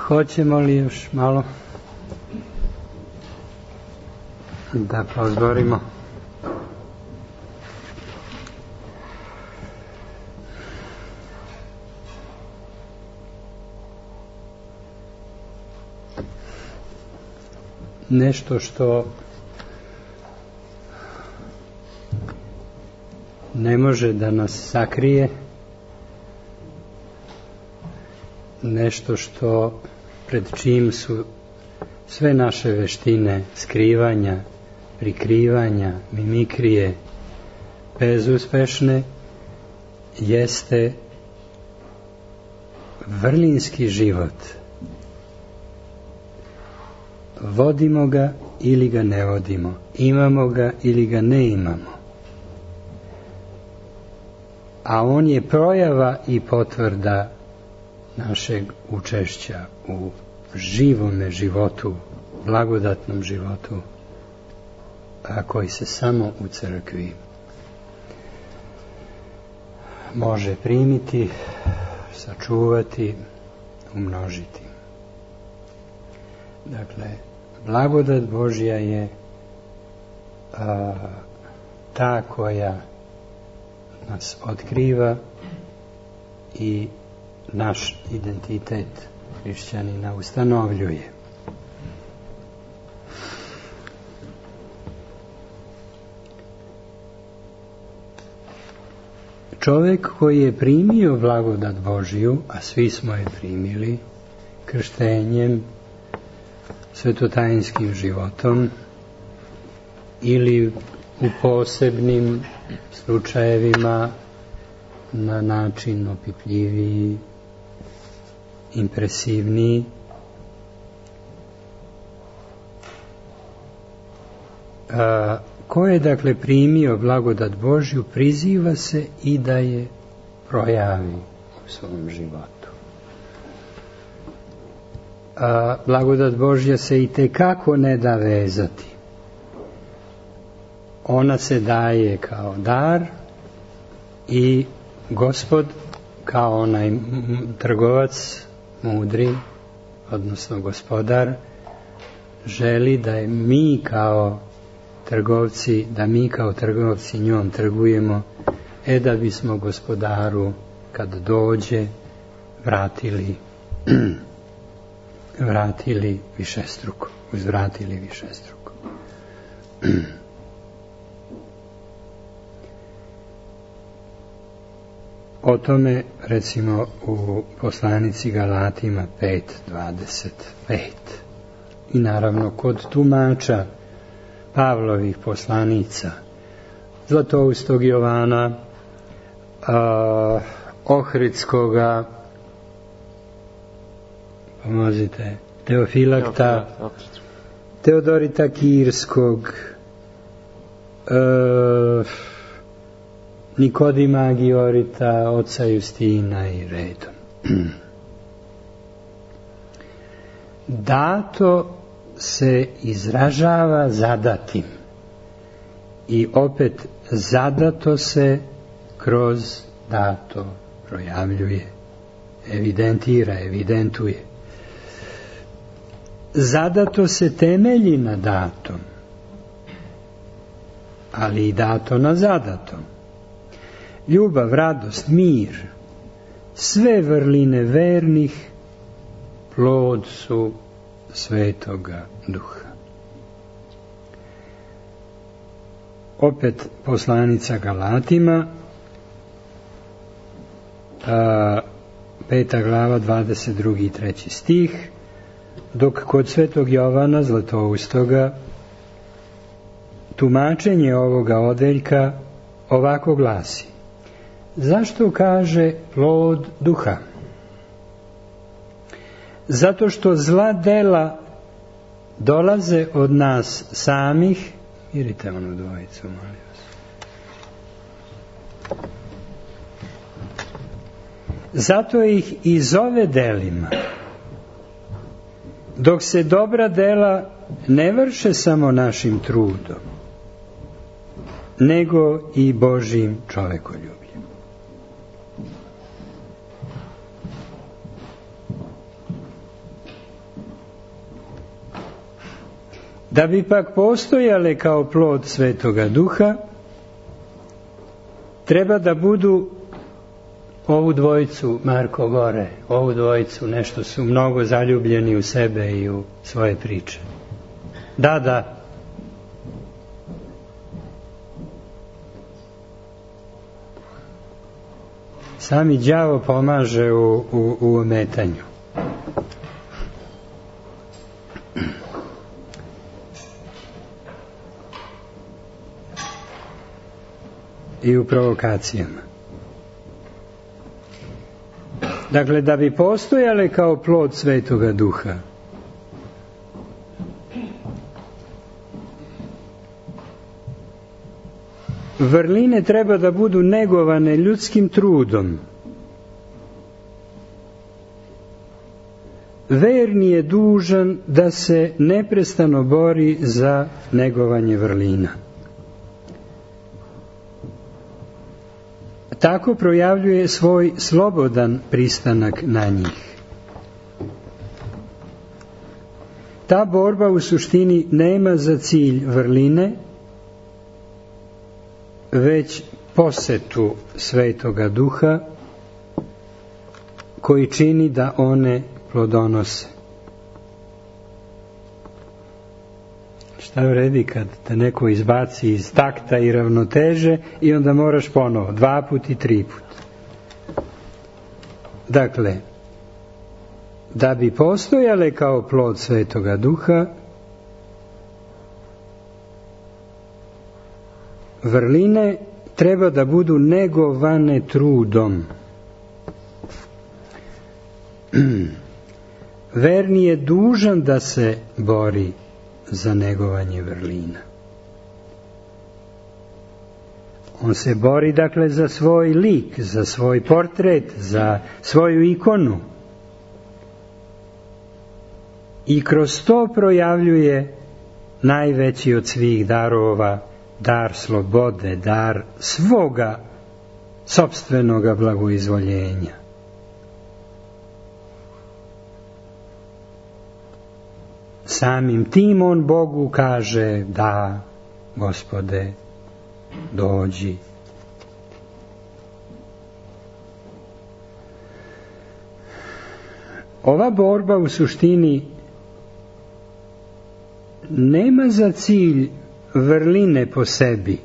Hoćemo li još malo da pozborimo? Nešto što ne može da nas sakrije, nešto što pred čim su sve naše veštine skrivanja, prikrivanja, mimikrije bezuspešne, jeste vrlinski život. Vodimo ga ili ga ne vodimo, imamo ga ili ga ne imamo. A on je projava i potvrda našeg učešća u živome životu, blagodatnom životu, a koji se samo u crkvi može primiti, sačuvati, umnožiti. Dakle, blagodat Božja je ta koja nas otkriva i naš identitet hrišćanina ustanovljuje. Čovjek koji je primio blagodat Božju, a svi smo je primili krštenjem, svetotajinskim životom ili u posebnim slučajevima na način opipljiviji, impresivniji, ko je dakle primio blagodat Božju, priziva se i da je projavi u svom životu. Blagodat Božja se i tekako ne da vezati. Ona se daje kao dar i Gospod, kao onaj trgovac mudri, odnosno gospodar, želi da je mi kao trgovci njom trgujemo, da bismo gospodaru kad dođe vratili višestruko, uzvratili višestruko. O tome, recimo, u poslanici Galatima 5:25. I naravno kod tumača Pavlovih poslanica, Zlatoustog Jovana, Ohridskoga, pomozite, Teofilakta, Teodorita Kirskog, Nikodima Agiorita, oca Justina i redom. Dato se izražava zadatim i opet zadato se kroz dato projavljuje, evidentira, evidentuje. Zadato se temelji na datom, ali i dato na zadatom. Ljubav, radost, mir, sve vrline vernih plod su Svetoga Duha. Opet poslanica Galatima, 5. glava, 22. i 3. stih, dok kod Svetog Jovana Zlatoustoga tumačenje ovoga odeljka ovako glasi: zašto kaže plod duha? Zato što zla dela dolaze od nas samih. Mirite onu dvojicu, molim vas. Zato ih i zove delima. Dok se dobra dela ne vrše samo našim trudom, nego i Božjim čovekoljubljem. Da bi pak postojale kao plod Svetoga Duha, treba da budu ovu dvojicu, Marko gore, ovu dvojicu, nešto su mnogo zaljubljeni u sebe i u svoje priče. Da. Sami đavo pomaže u ometanju. I u provokacijama. Dakle, da bi postojale kao plod Svetoga Duha, vrline treba da budu negovane ljudskim trudom. Verni je dužan da se neprestano bori za negovanje vrlina. Tako projavljuje svoj slobodan pristanak na njih. Ta borba u suštini nema za cilj vrline, već posetu Svetoga Duha koji čini da one plodonose. Šta vredi kad te neko izbaci iz takta i ravnoteže i onda moraš ponovo, 2 puta i 3 puta. Dakle, da bi postojale kao plod Svetoga Duha, vrline treba da budu negovane trudom. Verni je dužan da se bori za negovanje vrlina. On se bori, dakle, za svoj lik, za svoj portret, za svoju ikonu. I kroz to projavljuje najveći od svih darova, dar slobode, dar svoga sopstvenoga blagoizvoljenja. Samim tim on Bogu kaže: da, Gospode, dođi. Ova borba u suštini nema za cilj vrline po sebi,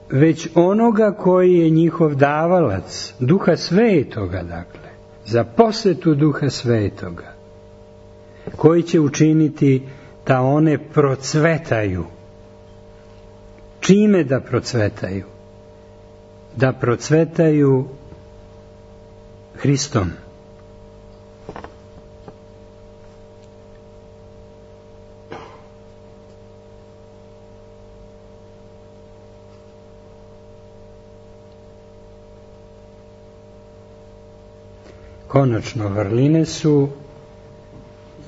već onoga koji je njihov davalac, Duha Svetoga, dakle, za posetu Duha Svetoga, koji će učiniti da one procvetaju. Čime da procvetaju? Da procvetaju Hristom. Konačno, vrline su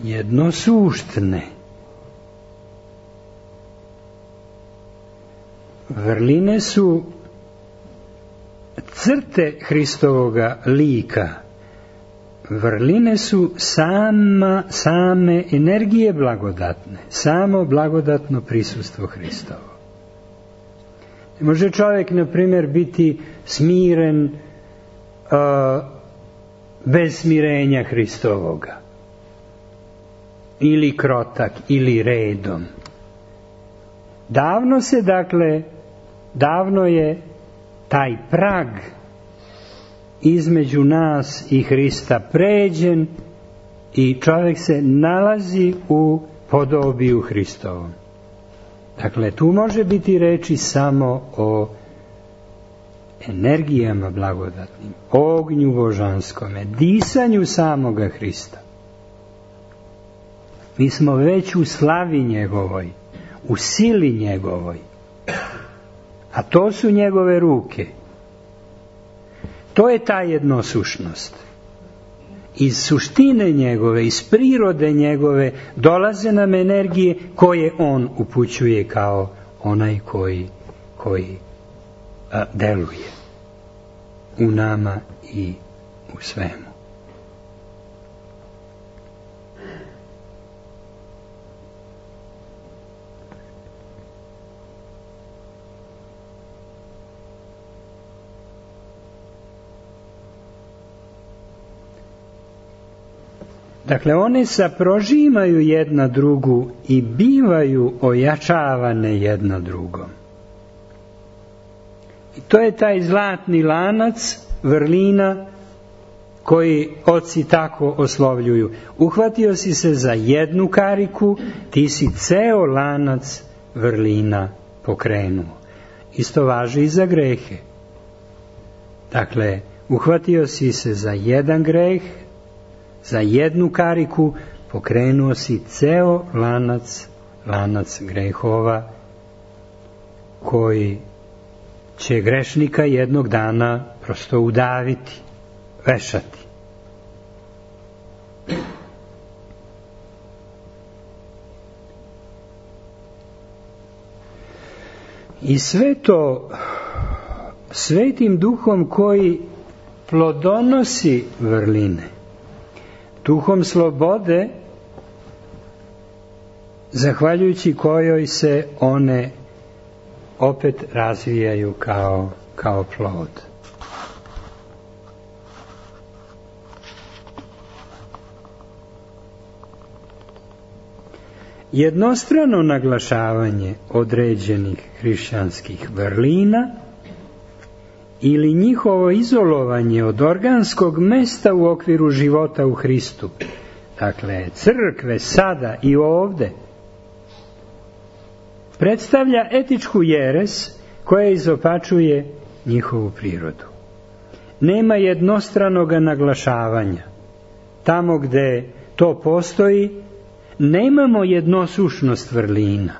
jednosuštne. Vrline su crte Hristovoga lika. Vrline su same energije blagodatne, samo blagodatno prisustvo Hristovo. Može čovjek, na primjer, biti smiren bez smirenja Hristovoga, ili krotak, ili redom. Davno je taj prag između nas i Hrista pređen i čovjek se nalazi u podobiju Hristovom. Dakle, tu može biti reči samo o energijama blagodatnim, ognju božanskome, disanju samoga Hrista. Mi smo već u slavi njegovoj, u sili njegovoj, a to su njegove ruke. To je ta jednosušnost. Iz suštine njegove, iz prirode njegove dolaze nam energije koje on upućuje kao onaj koji deluje u nama i u svemu. Dakle, one saprožimaju jedna drugu i bivaju ojačavane jedna drugom. I to je taj zlatni lanac vrlina koji oci tako oslovljuju. Uhvatio si se za jednu kariku, ti si ceo lanac vrlina pokrenuo. Isto važi i za grehe. Dakle, uhvatio si se za jedan greh, za jednu kariku, pokrenuo si ceo lanac grehova koji će grešnika jednog dana prosto udaviti, vešati. I sve to Svetim Duhom koji plodonosi vrline, Duhom slobode, zahvaljujući kojoj se one opet razvijaju kao plod. Jednostrano naglašavanje određenih hrišćanskih vrlina ili njihovo izolovanje od organskog mesta u okviru života u Hristu, dakle crkve sada i ovde, predstavlja etičku jeres koja izopačuje njihovu prirodu. Nema jednostranog naglašavanja. Tamo gde to postoji, nemamo jednosušnost vrlina.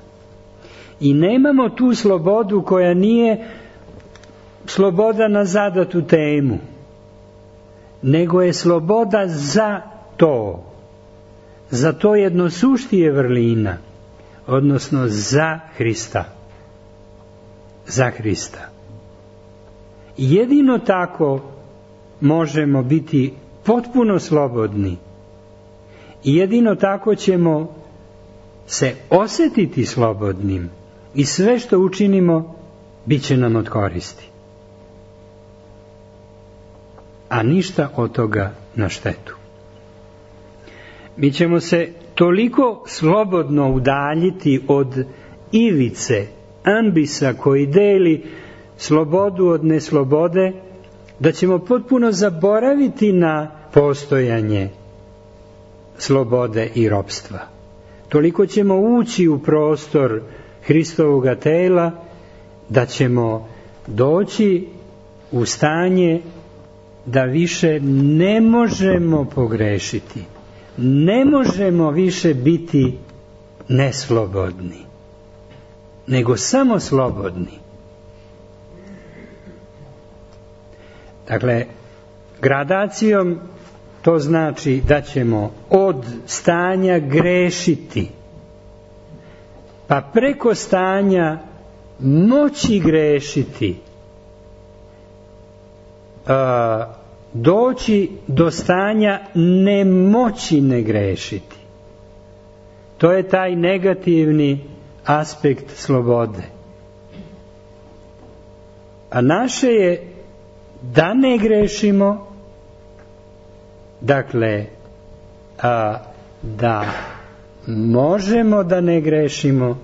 I nemamo tu slobodu koja nije sloboda na zadatu temu, nego je sloboda za to jednosuštije vrlina, odnosno za Hrista. Za Hrista. Jedino tako možemo biti potpuno slobodni i jedino tako ćemo se osjetiti slobodnim i sve što učinimo bit će nam od koristi. A ništa od toga na štetu. Mi ćemo se toliko slobodno udaljiti od ivice, ambisa koji deli slobodu od neslobode, da ćemo potpuno zaboraviti na postojanje slobode i ropstva. Toliko ćemo ući u prostor Hristovoga tela da ćemo doći u stanje da više ne možemo pogrešiti. Ne možemo više biti neslobodni, nego samo slobodni. Dakle, gradacijom to znači da ćemo od stanja grešiti, pa preko stanja moći grešiti, doći do stanja nemoći ne grešiti. To je taj negativni aspekt slobode. A naše je da ne grešimo, dakle, da možemo da ne grešimo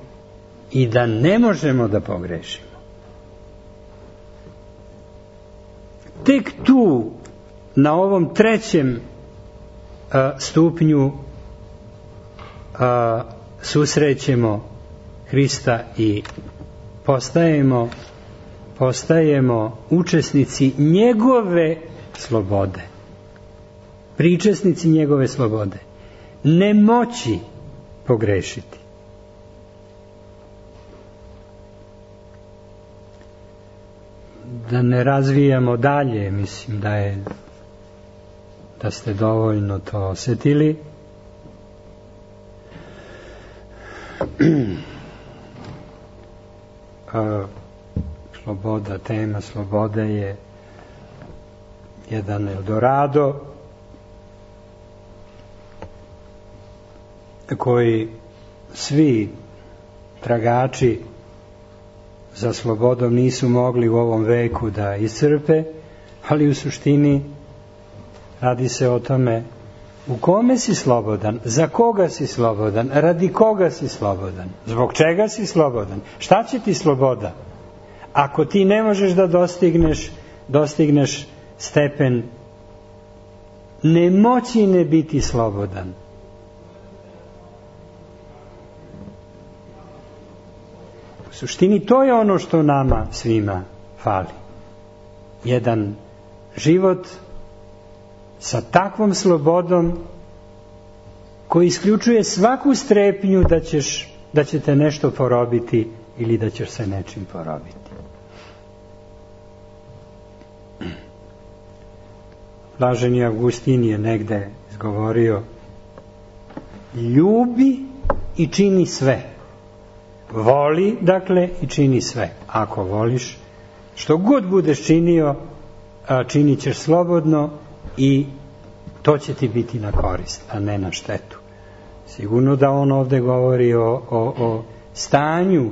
i da ne možemo da pogrešimo. Tek tu, na ovom trećem stupnju, susrećemo Hrista i postajemo učesnici njegove slobode. Pričesnici njegove slobode. Nemoći pogrešiti. Da ne razvijamo dalje, mislim da ste dovoljno to osjetili. Sloboda, tema slobode je jedan Eldorado koji svi tragači za slobodom nisu mogli u ovom veku da iscrpe, ali u suštini radi se o tome U kome si slobodan? Za koga si slobodan? Radi koga si slobodan? Zbog čega si slobodan? Šta će ti sloboda? Ako ti ne možeš da dostigneš stepen nemoći ne biti slobodan. U suštini to je ono što nama svima fali. Jedan život sa takvom slobodom koji isključuje svaku strepnju da će te nešto porobiti ili da ćeš se nečim porobiti. Blaženi Avgustin je negde izgovorio: ljubi i čini sve. Voli, dakle, i čini sve. Ako voliš, što god budeš činio, činit ćeš slobodno i to će ti biti na korist, a ne na štetu. Sigurno da on ovde govori o stanju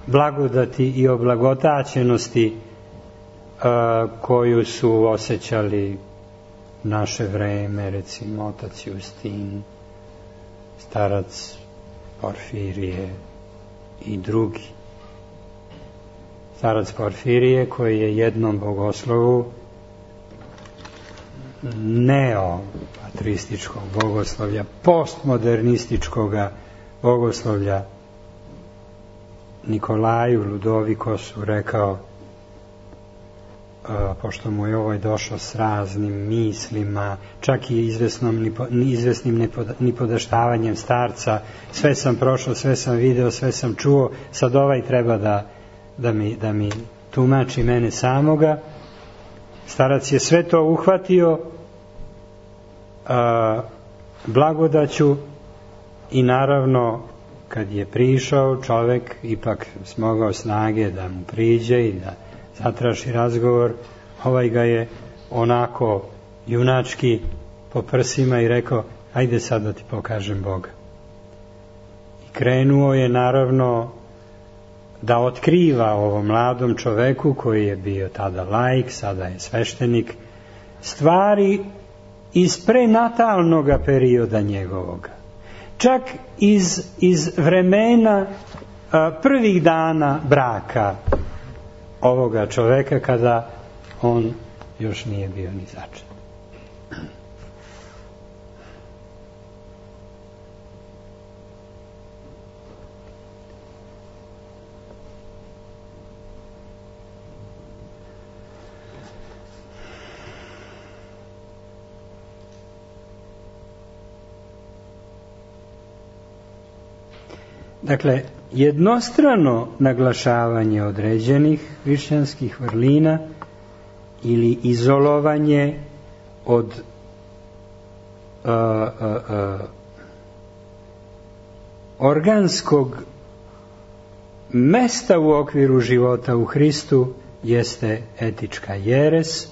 blagodati i o blagotaćenosti koju su osjećali naše vreme, recimo otac Justin, starac Porfirije i drugi. Starac Porfirije koji je jednom bogoslovu neopatrističkog bogoslovlja, postmodernističkog bogoslovlja Nikolaju Ludovikosu rekao, pošto mu je ovaj došao s raznim mislima, čak i izvesnim nipodaštavanjem starca, sve sam prošao, sve sam video, sve sam čuo, sad ovaj treba da mi tumači mene samoga. Starac je sve to uhvatio blagodaću i naravno kad je prišao čovek ipak smogao snage da mu priđe i da zatraži razgovor, ovaj ga je onako junački po prsima i rekao: ajde sad da ti pokažem Boga. I krenuo je naravno da otkriva ovom mladom čoveku koji je bio tada laik, sada je sveštenik, stvari iz prenatalnog perioda njegovoga. Čak iz vremena prvih dana braka ovoga čoveka kada on još nije bio ni začet. Dakle, jednostrano naglašavanje određenih hrišćanskih vrlina ili izolovanje od organskog mesta u okviru života u Hristu jeste etička jeres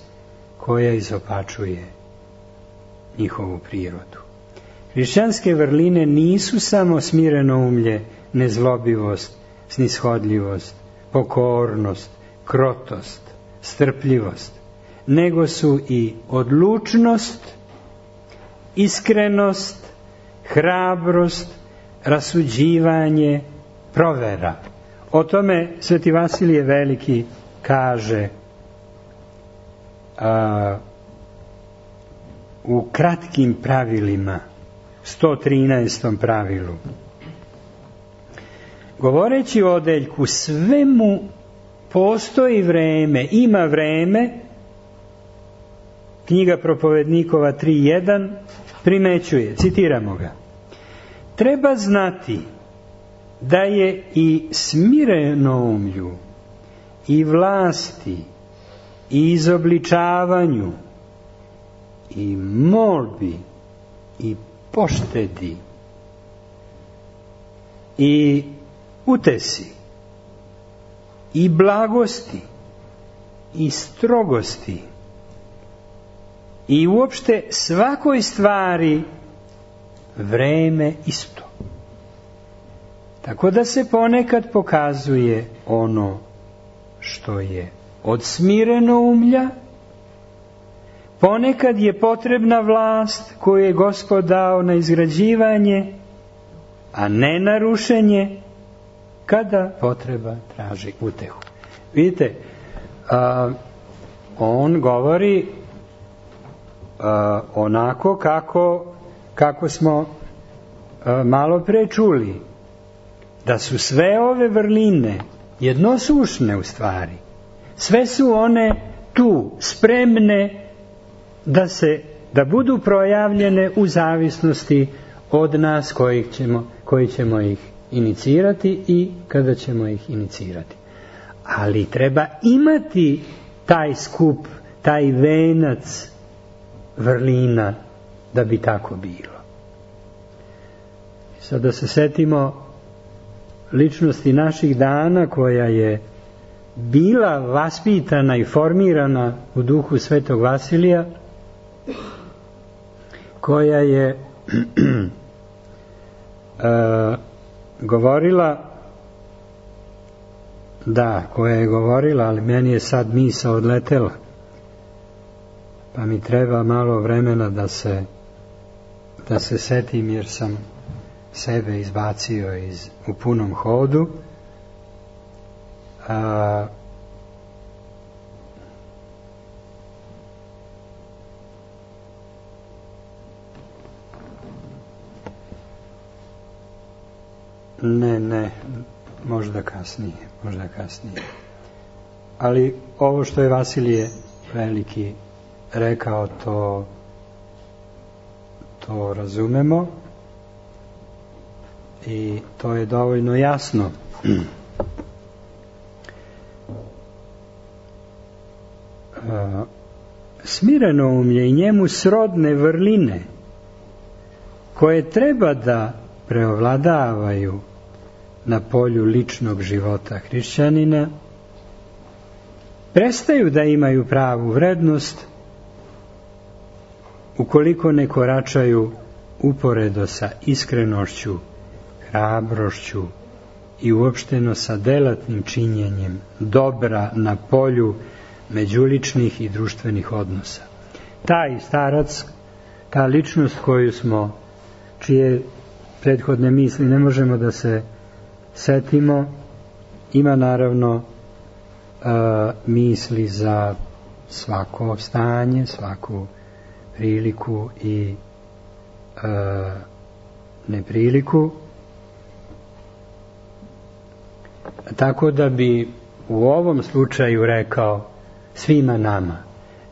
koja izopačuje njihovu prirodu. Hrišćanske vrline nisu samo smireno umlje, nezlobivost, snishodljivost, pokornost, krotost, strpljivost, nego su i odlučnost, iskrenost, hrabrost, rasuđivanje, provera. O tome Sveti Vasilije Veliki kaže u kratkim pravilima, 113. pravilu. Govoreći o odeljku, svemu postoji vreme, ima vreme, knjiga Propovednikova 3.1 primećuje, citiramo ga: treba znati da je i smirenoumlju, i vlasti, i izobličavanju, i molbi, i poštedi, i utesi, i blagosti, i strogosti, i uopšte svakoj stvari vreme isto. Tako da se ponekad pokazuje ono što je od smirenoumlja, Ponekad je potrebna vlast koju je Gospod dao na izgrađivanje, a ne na rušenje, kada potreba traži utehu. Vidite, on govori onako kako smo malo pre čuli, da su sve ove vrline jednosušne u stvari. Sve su one tu, spremne da budu projavljene u zavisnosti od nas koji ćemo ih inicirati i kada ćemo ih inicirati. Ali treba imati taj skup, taj venac vrlina da bi tako bilo. Sad da se setimo ličnosti naših dana koja je bila vaspitana i formirana u duhu Svetog Vasilija, koja je govorila, ali meni je sad misao odletela, pa mi treba malo vremena da se setim, jer sam sebe izbacio u punom hodu. Ne, možda kasnije. Ali ovo što je Vasilije Veliki rekao, to razumemo i to je dovoljno jasno. Smirenoumlje i njemu srodne vrline koje treba da preovladavaju na polju ličnog života hrišćanina prestaju da imaju pravu vrednost ukoliko ne koračaju uporedo sa iskrenošću, hrabrošću i uopšteno sa delatnim činjenjem dobra na polju međuličnih i društvenih odnosa. Taj starac, ta ličnost čije prethodne misli ne možemo da se setimo, ima naravno misli za svako stanje, svaku priliku i nepriliku. Tako da bi u ovom slučaju rekao svima nama: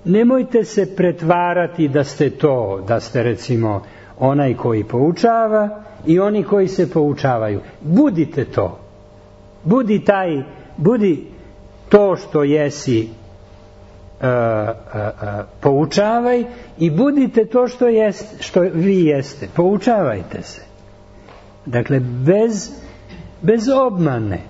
nemojte se pretvarati da ste recimo onaj koji poučava i oni koji se poučavaju. Budite to. Budi to što jesi, poučavaj, i budite to što vi jeste. Poučavajte se. Dakle, bez obmane.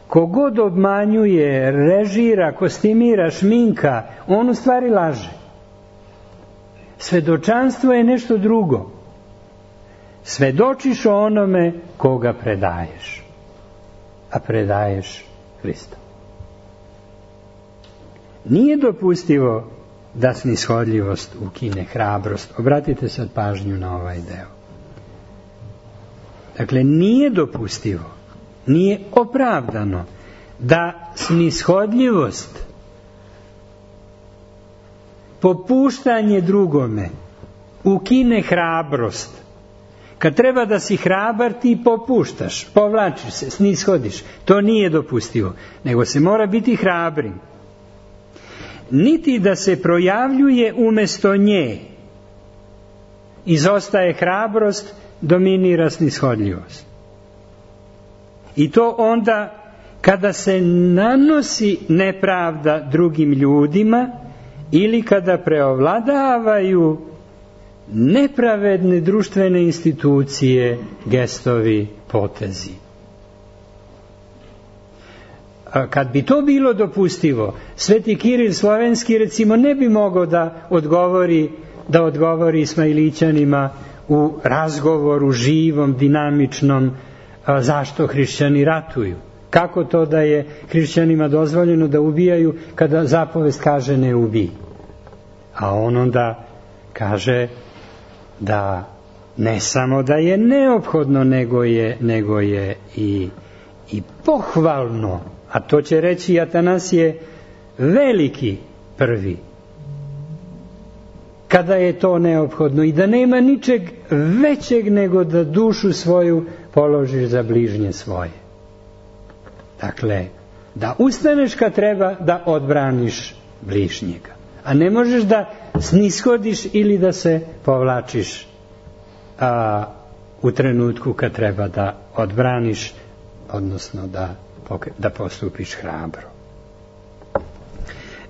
Kogod obmanjuje, režira, kostimira, šminka, on u stvari laže. Svedočanstvo je nešto drugo. Svedočiš o onome koga predaješ, a predaješ Hrista. Nije dopustivo da snishodljivost ukine hrabrost. Obratite sad pažnju na ovaj deo. Dakle, nije dopustivo, nije opravdano da snishodljivost, popuštanje drugome, ukine hrabrost. Kad treba da si hrabar, ti popuštaš, povlačiš se, snishodiš. To nije dopustivo, nego se mora biti hrabrim. Niti da se projavljuje umesto nje. Izostaje hrabrost, dominira snishodljivost. I to onda kada se nanosi nepravda drugim ljudima ili kada preovladavaju nepravedne društvene institucije, gestovi, potezi. Kad bi to bilo dopustivo, Sveti Kiril Slovenski recimo ne bi mogao da odgovori Ismailićanima u razgovoru živom, dinamičnom, zašto hrišćani ratuju. Kako to da je hrišćanima dozvoljeno da ubijaju kada zapovest kaže ne ubij? A on onda kaže da ne samo da je neophodno, nego je i pohvalno, a to će reći Atanasije Veliki prvi, kada je to neophodno i da nema ničeg većeg nego da dušu svoju položiš za bližnje svoje. Dakle, da ustaneš kad treba da odbraniš bližnjega, a ne možeš da snishodiš ili da se povlačiš u trenutku kad treba da odbraniš, odnosno da postupiš hrabro.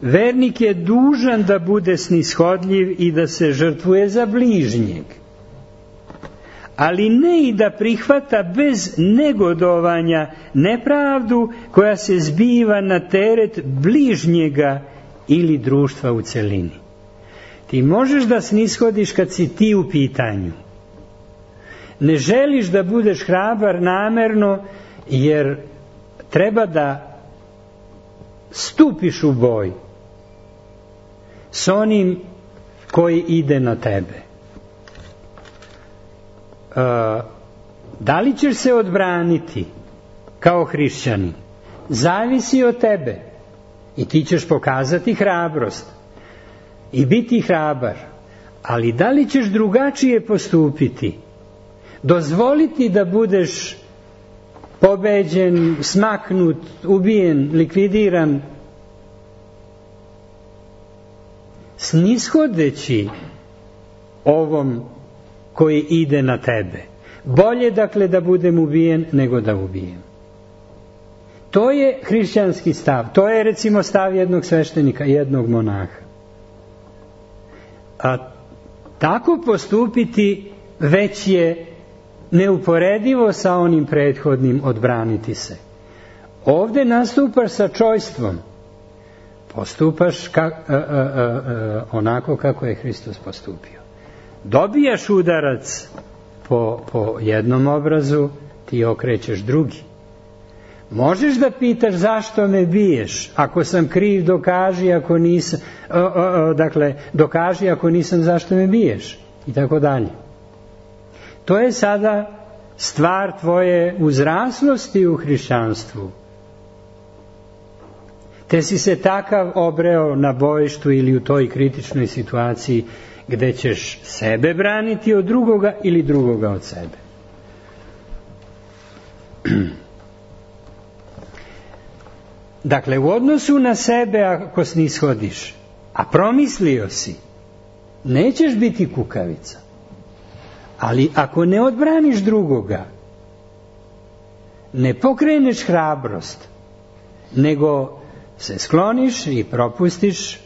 Vernik je dužan da bude snishodljiv i da se žrtvuje za bližnjeg, ali ne i da prihvata bez negodovanja nepravdu koja se zbiva na teret bližnjega ili društva u celini. Ti možeš da snishodiš kad si ti u pitanju. Ne želiš da budeš hrabar namerno, jer treba da stupiš u boj s onim koji ide na tebe. Da li ćeš se odbraniti kao hrišćanin? Zavisi od tebe. I ti ćeš pokazati hrabrost i biti hrabar. Ali da li ćeš drugačije postupiti? Dozvoliti da budeš pobeđen, smaknut, ubijen, likvidiran, snishodeći ovom koji ide na tebe. Bolje dakle da budem ubijen nego da ubijem. To je hrišćanski stav. To je recimo stav jednog sveštenika, jednog monaha. A tako postupiti već je neuporedivo sa onim prethodnim odbraniti se. Ovdje nastupaš sa čojstvom. Postupaš onako kako je Hristos postupio. Dobijaš udarac po jednom obrazu, ti okrećeš drugi. Možeš da pitaš zašto me biješ? Ako sam kriv, dokaži, ako nisam, dokaži, ako nisam, zašto me biješ? I tako dalje. To je sada stvar tvoje uzraslosti u hrišćanstvu. Te si se takav obreo na bojištu ili u toj kritičnoj situaciji gde ćeš sebe braniti od drugoga ili drugoga od sebe. Dakle, u odnosu na sebe ako snishodiš, a promislio si, nećeš biti kukavica. Ali ako ne odbraniš drugoga, ne pokreneš hrabrost, nego se skloniš i propustiš,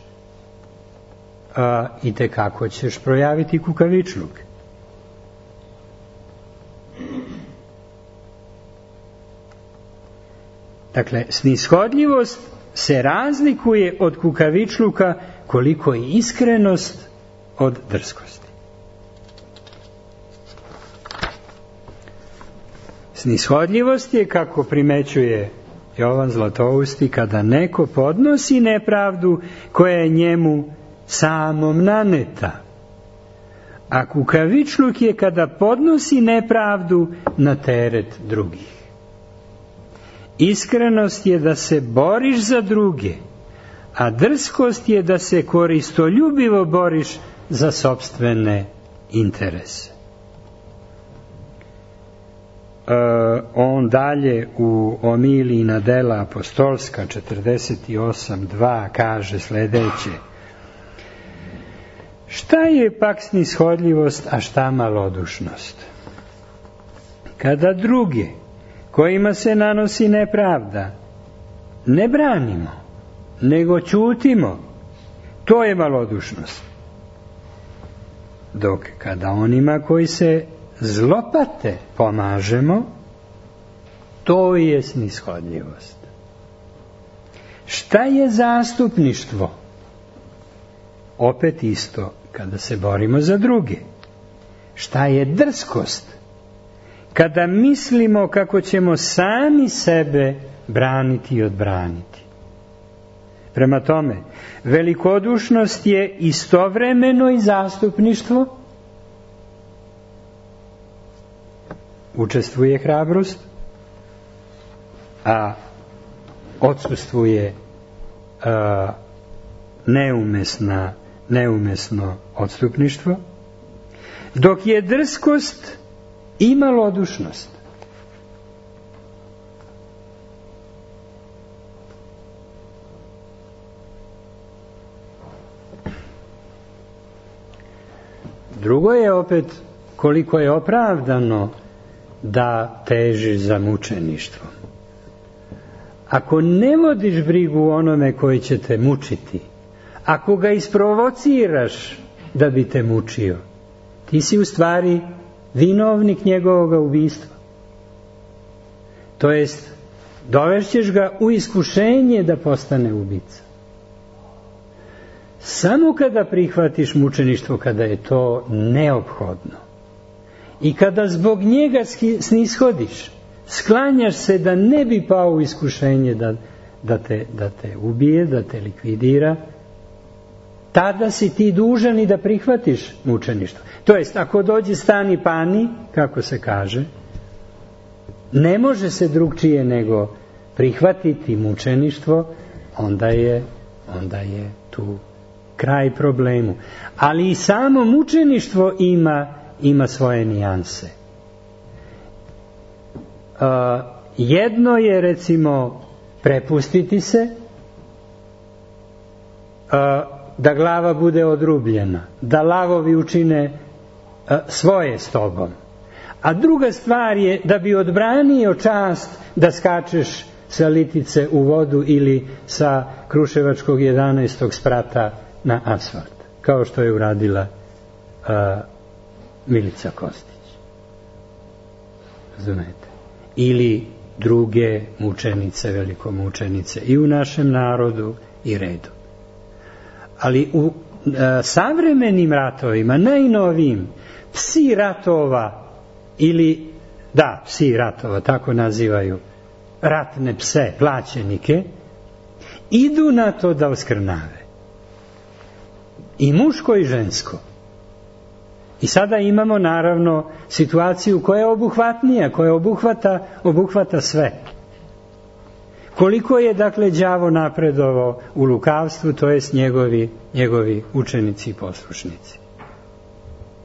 i tekako ćeš projaviti kukavičluk. Dakle, snishodljivost se razlikuje od kukavičluka koliko je iskrenost od drskosti. Snishodljivost je, kako primećuje Jovan Zlatousti, kada neko podnosi nepravdu koja je njemu samom naneta. A kukavičluk je kada podnosi nepravdu na teret drugih. Iskrenost je da se boriš za druge, a drskost je da se koristoljubivo boriš za sopstvene interese. On dalje u Omiliji na dela apostolska 48.2 kaže sledeće: šta je pak snishodljivost, a šta malodušnost? Kada druge kojima se nanosi nepravda ne branimo, nego ćutimo, to je malodušnost. Dok kada onima koji se zlopate pomažemo, to je snishodljivost. Šta je zastupništvo? Opet isto, kada se borimo za druge. Šta je drskost? kada mislimo kako ćemo sami sebe braniti i odbraniti. Prema tome, velikodušnost je istovremeno i zastupništvo, učestvuje hrabrost, a odsustvuje neumesno odstupništvo, dok je drskost i malodušnost. Drugo je opet koliko je opravdano da težiš za mučeništvo. Ako ne vodiš brigu o onome koji će te mučiti, ako ga isprovociraš da bi te mučio, ti si u stvari vinovnik njegovog ubistva. To jest, dovešćeš ga u iskušenje da postane ubica. Samo kada prihvatiš mučeništvo, kada je to neophodno i kada zbog njega snishodiš, sklanjaš se da ne bi pao u iskušenje da te ubije, da te likvidira, tada si ti dužan i da prihvatiš mučeništvo. To jest, ako dođe stani pani, kako se kaže, ne može se drugčije nego prihvatiti mučeništvo, onda je tu kraj problemu. Ali i samo mučeništvo ima svoje nijanse. Jedno je, recimo, prepustiti se, da glava bude odrubljena, da lavovi učine svoje s tobom. A druga stvar je da bi odbranio čast da skačeš sa Litice u vodu ili sa Kruševačkog 11. sprata na asfalt, kao što je uradila Milica Kostić. Razumete? Ili druge mučenice, velikomučenice i u našem narodu i redu. Ali u savremenim ratovima, najnovijim, psi ratova, psi ratova, tako nazivaju ratne pse, plaćenike, idu na to da oskrnave. I muško i žensko. I sada imamo naravno situaciju koja je obuhvatnija, koja obuhvata sve. Koliko je dakle đavo napredovao u lukavstvu, to jest njegovi učenici i poslušnici.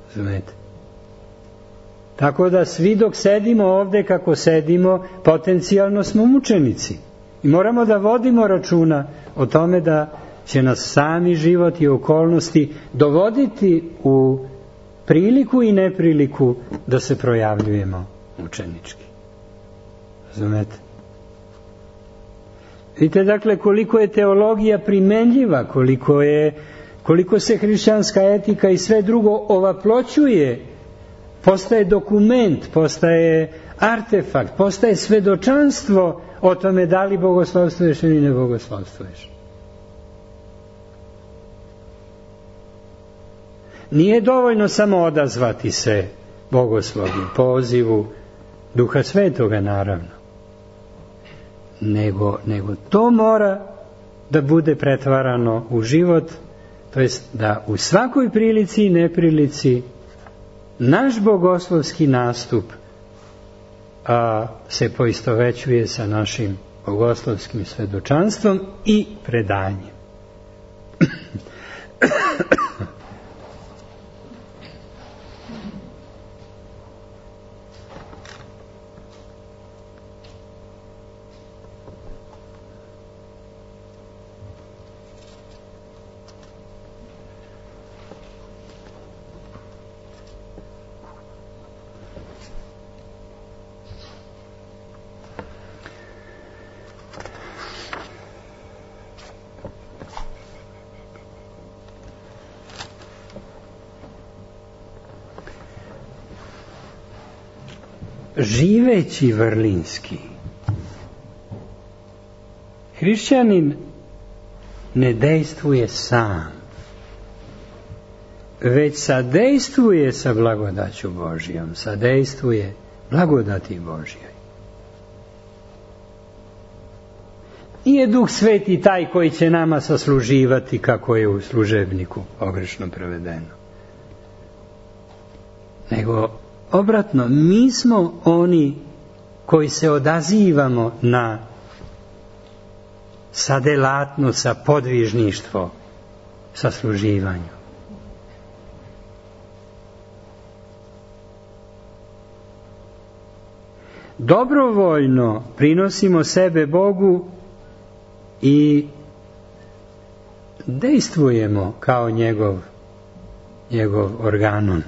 Razumete? Tako da svi dok sedimo ovde kako sedimo, potencijalno smo mučenici. I moramo da vodimo računa o tome da će nas sami život i okolnosti dovoditi u priliku i nepriliku da se projavljujemo mučenički. Razumete? Vidite dakle koliko je teologija primenljiva, koliko se hrišćanska etika i sve drugo ovaploćuje, postaje dokument, postaje artefakt, postaje svedočanstvo o tome da li bogoslovstvuješ ili ne bogoslovstvuješ. Nije dovoljno samo odazvati se bogoslovlju, pozivu Duha Svetoga, naravno. Nego to mora da bude pretvarano u život, to jest da u svakoj prilici i neprilici naš bogoslovski nastup se poistovećuje sa našim bogoslovskim svedočanstvom i predanjem. Živeći vrlinski, hrišćanin ne dejstvuje sam, već sadejstvuje sa blagodaću Božijom, sadejstvuje blagodati Božjoj. Nije Duh Sveti taj koji će nama sasluživati kako je u služebniku pogrešno prevedeno. Nego obratno, mi smo oni koji se odazivamo na sadelatnost, sa podvižništvo, sasluživanju. Dobrovoljno prinosimo sebe Bogu i dejstvujemo kao njegov organon.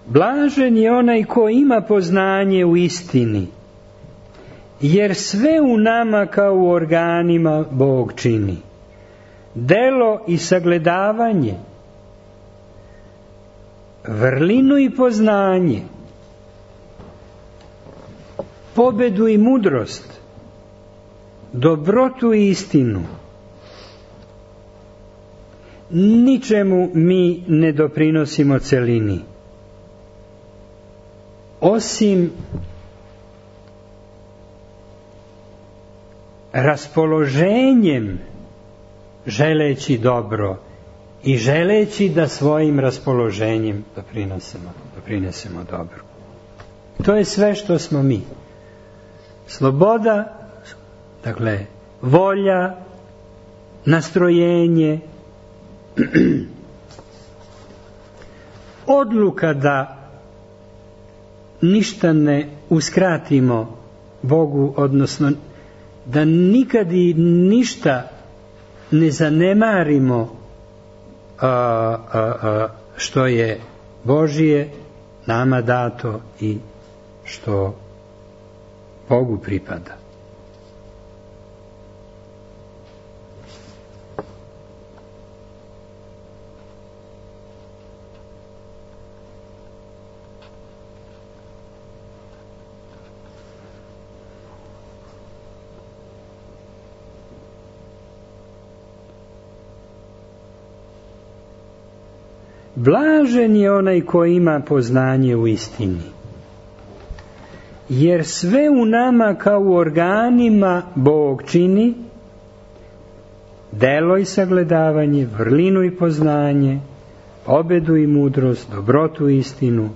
Blažen je onaj ko ima poznanje u istini, jer sve u nama kao u organima Bog čini. Delo i sagledavanje, vrlinu i poznanje, pobedu i mudrost, dobrotu i istinu. Ničemu mi ne doprinosimo celini, osim raspoloženjem želeći dobro i želeći da svojim raspoloženjem doprinesemo dobro. To je sve što smo mi. Sloboda, dakle, volja, nastrojenje, odluka da ništa ne uskratimo Bogu, odnosno da nikad i ništa ne zanemarimo što je Božje nama dato i što Bogu pripada. Blažen je onaj ko ima poznanje u istini, jer sve u nama kao u organima Bog čini, delo i sagledavanje, vrlinu i poznanje, pobedu i mudrost, dobrotu i istinu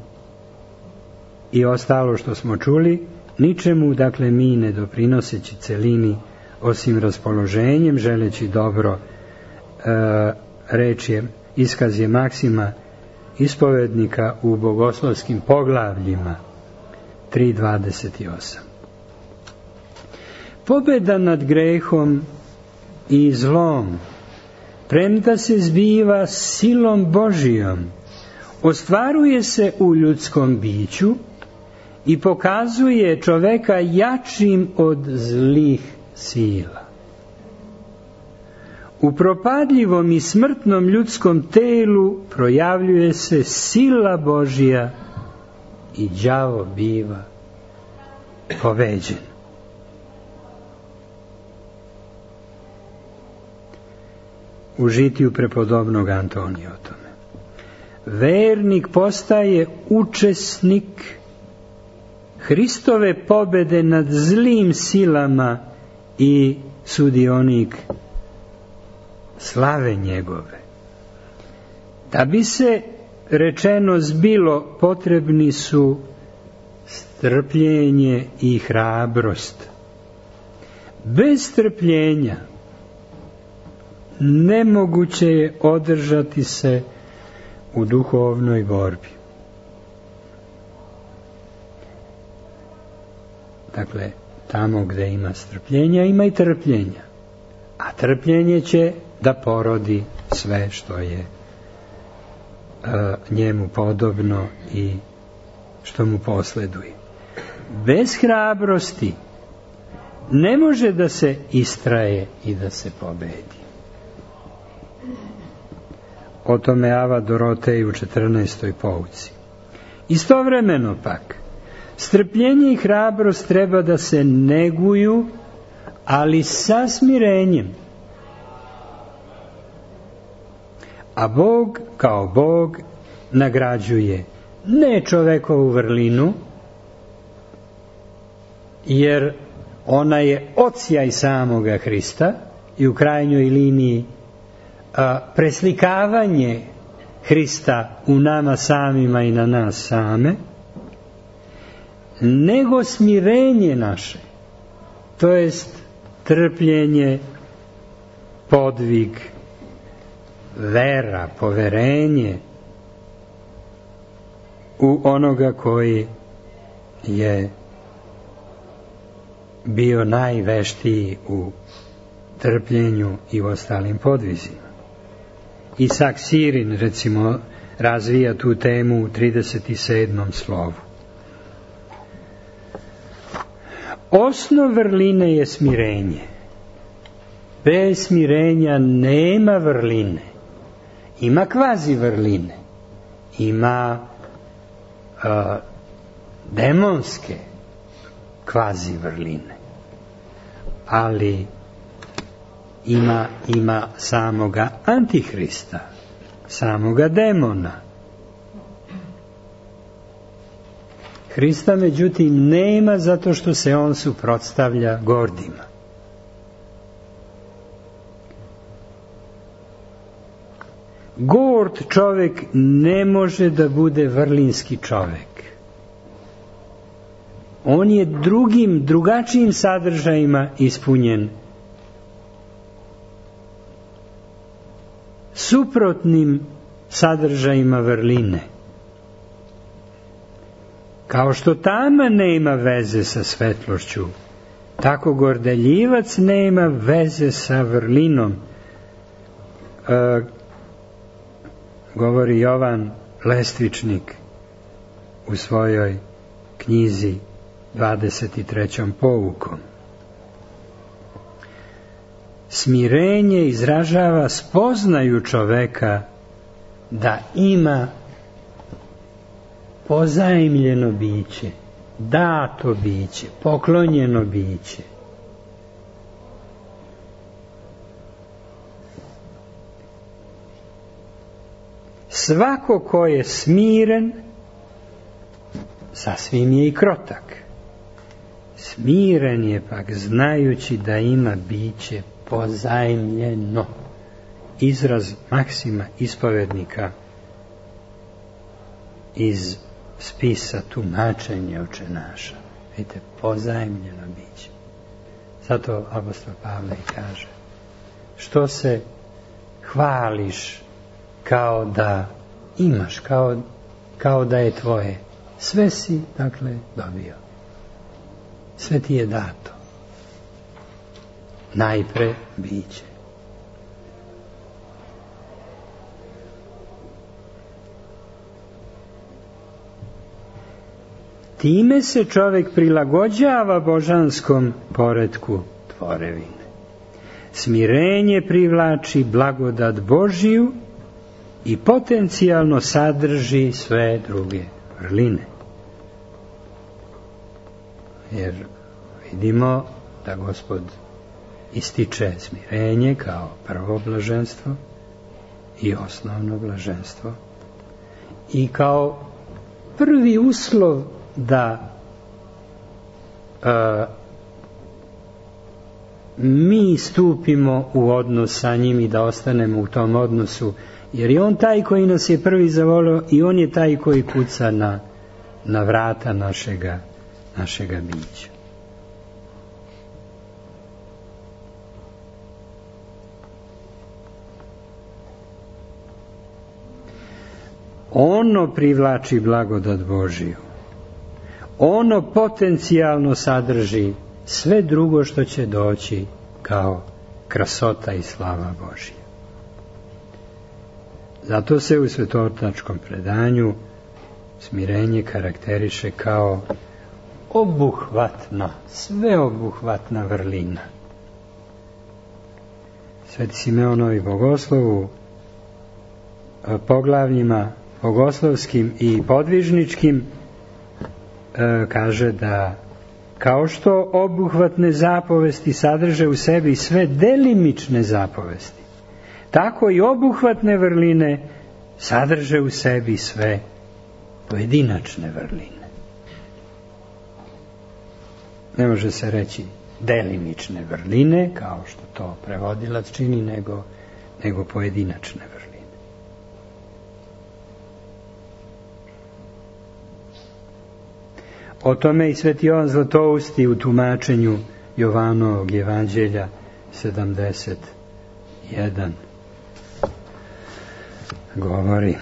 i ostalo što smo čuli, ničemu, dakle, mi ne doprinoseći celini, osim raspoloženjem, želeći dobro, reč je, iskaz je maksima ispovednika u bogoslovskim poglavljima 3.28. Pobeda nad grehom i zlom, premda se zbiva silom Božijom, ostvaruje se u ljudskom biću i pokazuje čoveka jačim od zlih sila. U propadljivom i smrtnom ljudskom telu projavljuje se sila Božja i đavo biva pobeđen. U žitiju prepodobnog Antonija o tome. Vernik postaje učesnik Hristove pobede nad zlim silama i sudionik slave njegove. Da bi se rečeno zbilo, potrebni su strpljenje i hrabrost. Bez strpljenja nemoguće je održati se u duhovnoj borbi. Dakle, tamo gdje ima strpljenja, ima i trpljenja. A trpljenje će da porodi sve što je njemu podobno i što mu posleduje. Bez hrabrosti ne može da se istraje i da se pobedi. O tome Ava Dorotej u 14. pouci. Istovremeno pak, strpljenje i hrabrost treba da se neguju, ali sa smirenjem. A Bog kao Bog nagrađuje ne čovekovu vrlinu, jer ona je odsjaj samoga Hrista i u krajnjoj liniji preslikavanje Hrista u nama samima i na nas same, nego smirenje naše, to jest trpljenje, podvig, vera, poverenje u onoga koji je bio najveštiji u trpljenju i u ostalim podvizima. Isak Sirin, recimo, razvija tu temu u 37. slovu. Osnov vrline je smirenje. Bez smirenja nema vrline. Ima kvazi vrline. Ima demonske kvazi vrline. Ali ima samoga Antihrista, samoga demona. Hrista međutim nema, zato što se on suprotstavlja gordima. Gord čovjek ne može da bude vrlinski čovjek. On je drugačijim sadržajima ispunjen, suprotnim sadržajima vrline. Kao što tama nema veze sa svetlošću, tako gordeljivac nema veze sa vrlinom. Govori Jovan Lestvičnik u svojoj knjizi 23. poukom. Smirenje izražava spoznaju čoveka da ima pozajmljeno biće, dato biće, poklonjeno biće. Svako ko je smiren, sasvim je i krotak. Smiren je pak znajući da ima biće pozajmljeno. Izraz Maksima ispovednika iz spisa tumačenja očenaša. Vidite, pozajmljeno biće. Zato apostol Pavle kaže: što se hvališ kao da imaš, kao da je tvoje. Sve si, dakle, dobio. Sve ti je dato. Najpre biće. Time se čovjek prilagođava božanskom poretku tvorevine. Smirenje privlači blagodat Božiju i potencijalno sadrži sve druge vrline. Jer vidimo da Gospod ističe smirenje kao prvo blaženstvo i osnovno blaženstvo i kao prvi uslov da mi stupimo u odnos sa njim i da ostanemo u tom odnosu, jer je on taj koji nas je prvi zavolio i on je taj koji kuca na vrata našega bića. Ono privlači blagodat Božiju. Ono potencijalno sadrži sve drugo što će doći kao krasota i slava Božja. Zato se u svetotačkom predanju smirenje karakteriše kao obuhvatna, sveobuhvatna vrlina. Sveti Simeonovi bogoslov u poglavljima bogoslovskim i podvižničkim kaže da kao što obuhvatne zapovesti sadrže u sebi sve delimične zapovesti, tako i obuhvatne vrline sadrže u sebi sve pojedinačne vrline. Ne može se reći delimične vrline, kao što to prevodilac čini, nego pojedinačne vrline. O tome i Sveti Jovan Zlatousti u tumačenju Jovanovog evanđelja 71 govori.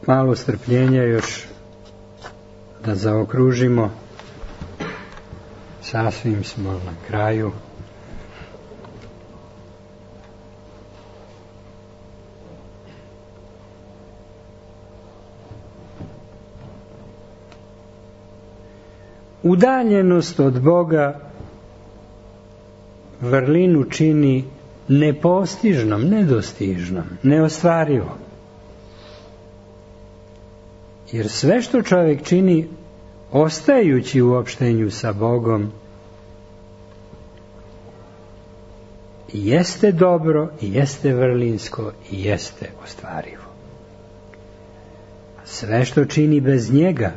Malo strpljenja još da zaokružimo. Sasvim smo na kraju. Udaljenost od Boga vrlinu čini nepostižnom, nedostižnom, neostvarivom. Jer sve što čovjek čini, ostajući u opštenju sa Bogom, jeste dobro, i jeste vrlinsko, i jeste ostvarivo. Sve što čini bez njega,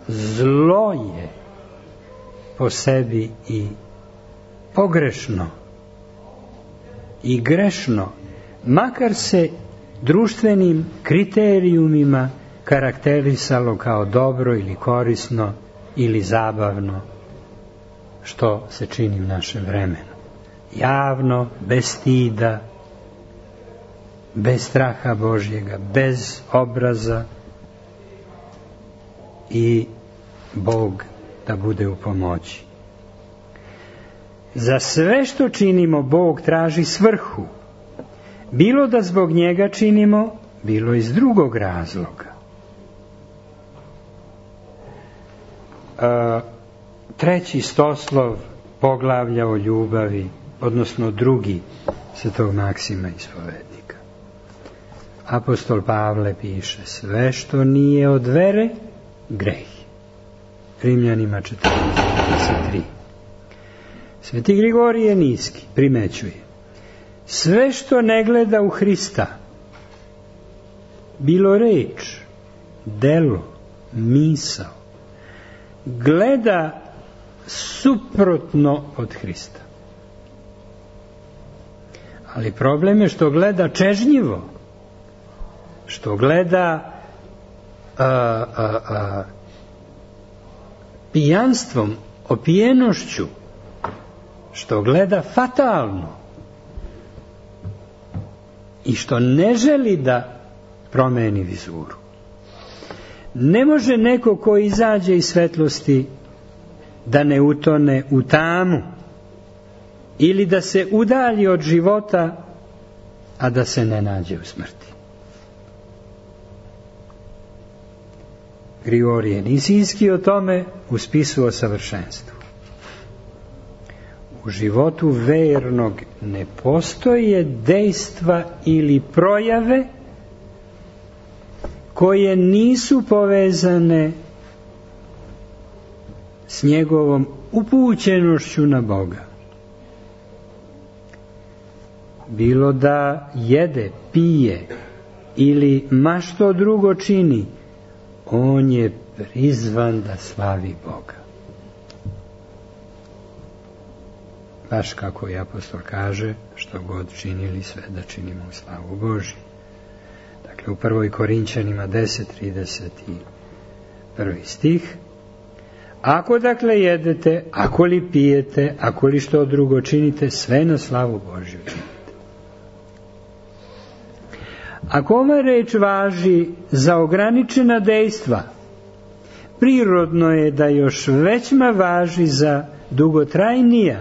zlo je po sebi i pogrešno i grešno, makar se društvenim kriterijumima karakterisalo kao dobro ili korisno ili zabavno, što se čini u našem vremenu. Javno, bez stida, bez straha Božjega, bez obraza, i Bog da bude u pomoći. Za sve što činimo Bog traži svrhu, bilo da zbog njega činimo, bilo iz drugog razloga. Treći stoslov poglavlja o ljubavi, odnosno drugi Svetog Maksima Ispovednika. Apostol Pavle piše: sve što nije od vere, greh. Rimljanima 14:23. Sveti Grigorije Niski primećuje: sve što ne gleda u Hrista, bilo reč, delo, misao, gleda suprotno od Hrista. Ali problem je što gleda čežnjivo, što gleda pijanstvom, opijenošću, što gleda fatalno i što ne želi da promeni vizuru. Ne može neko ko izađe iz svetlosti da ne utone u tamu ili da se udalji od života, a da se ne nađe u smrti. Grigorije Nisinski o tome u spisu o savršenstvu. U životu vernog ne postoje dejstva ili projave koje nisu povezane s njegovom upućenošću na Boga. Bilo da jede, pije ili ma što drugo čini, on je prizvan da slavi Boga. Baš kako i apostol kaže, što god činili, sve da činimo u slavu Božju. Dakle, u 1. Korinćanima 10:31 stih. Ako dakle jedete, ako li pijete, ako li što drugo činite, sve na slavu Božju činite. Ako ova reč važi za ograničena dejstva, prirodno je da još većma važi za dugotrajnija,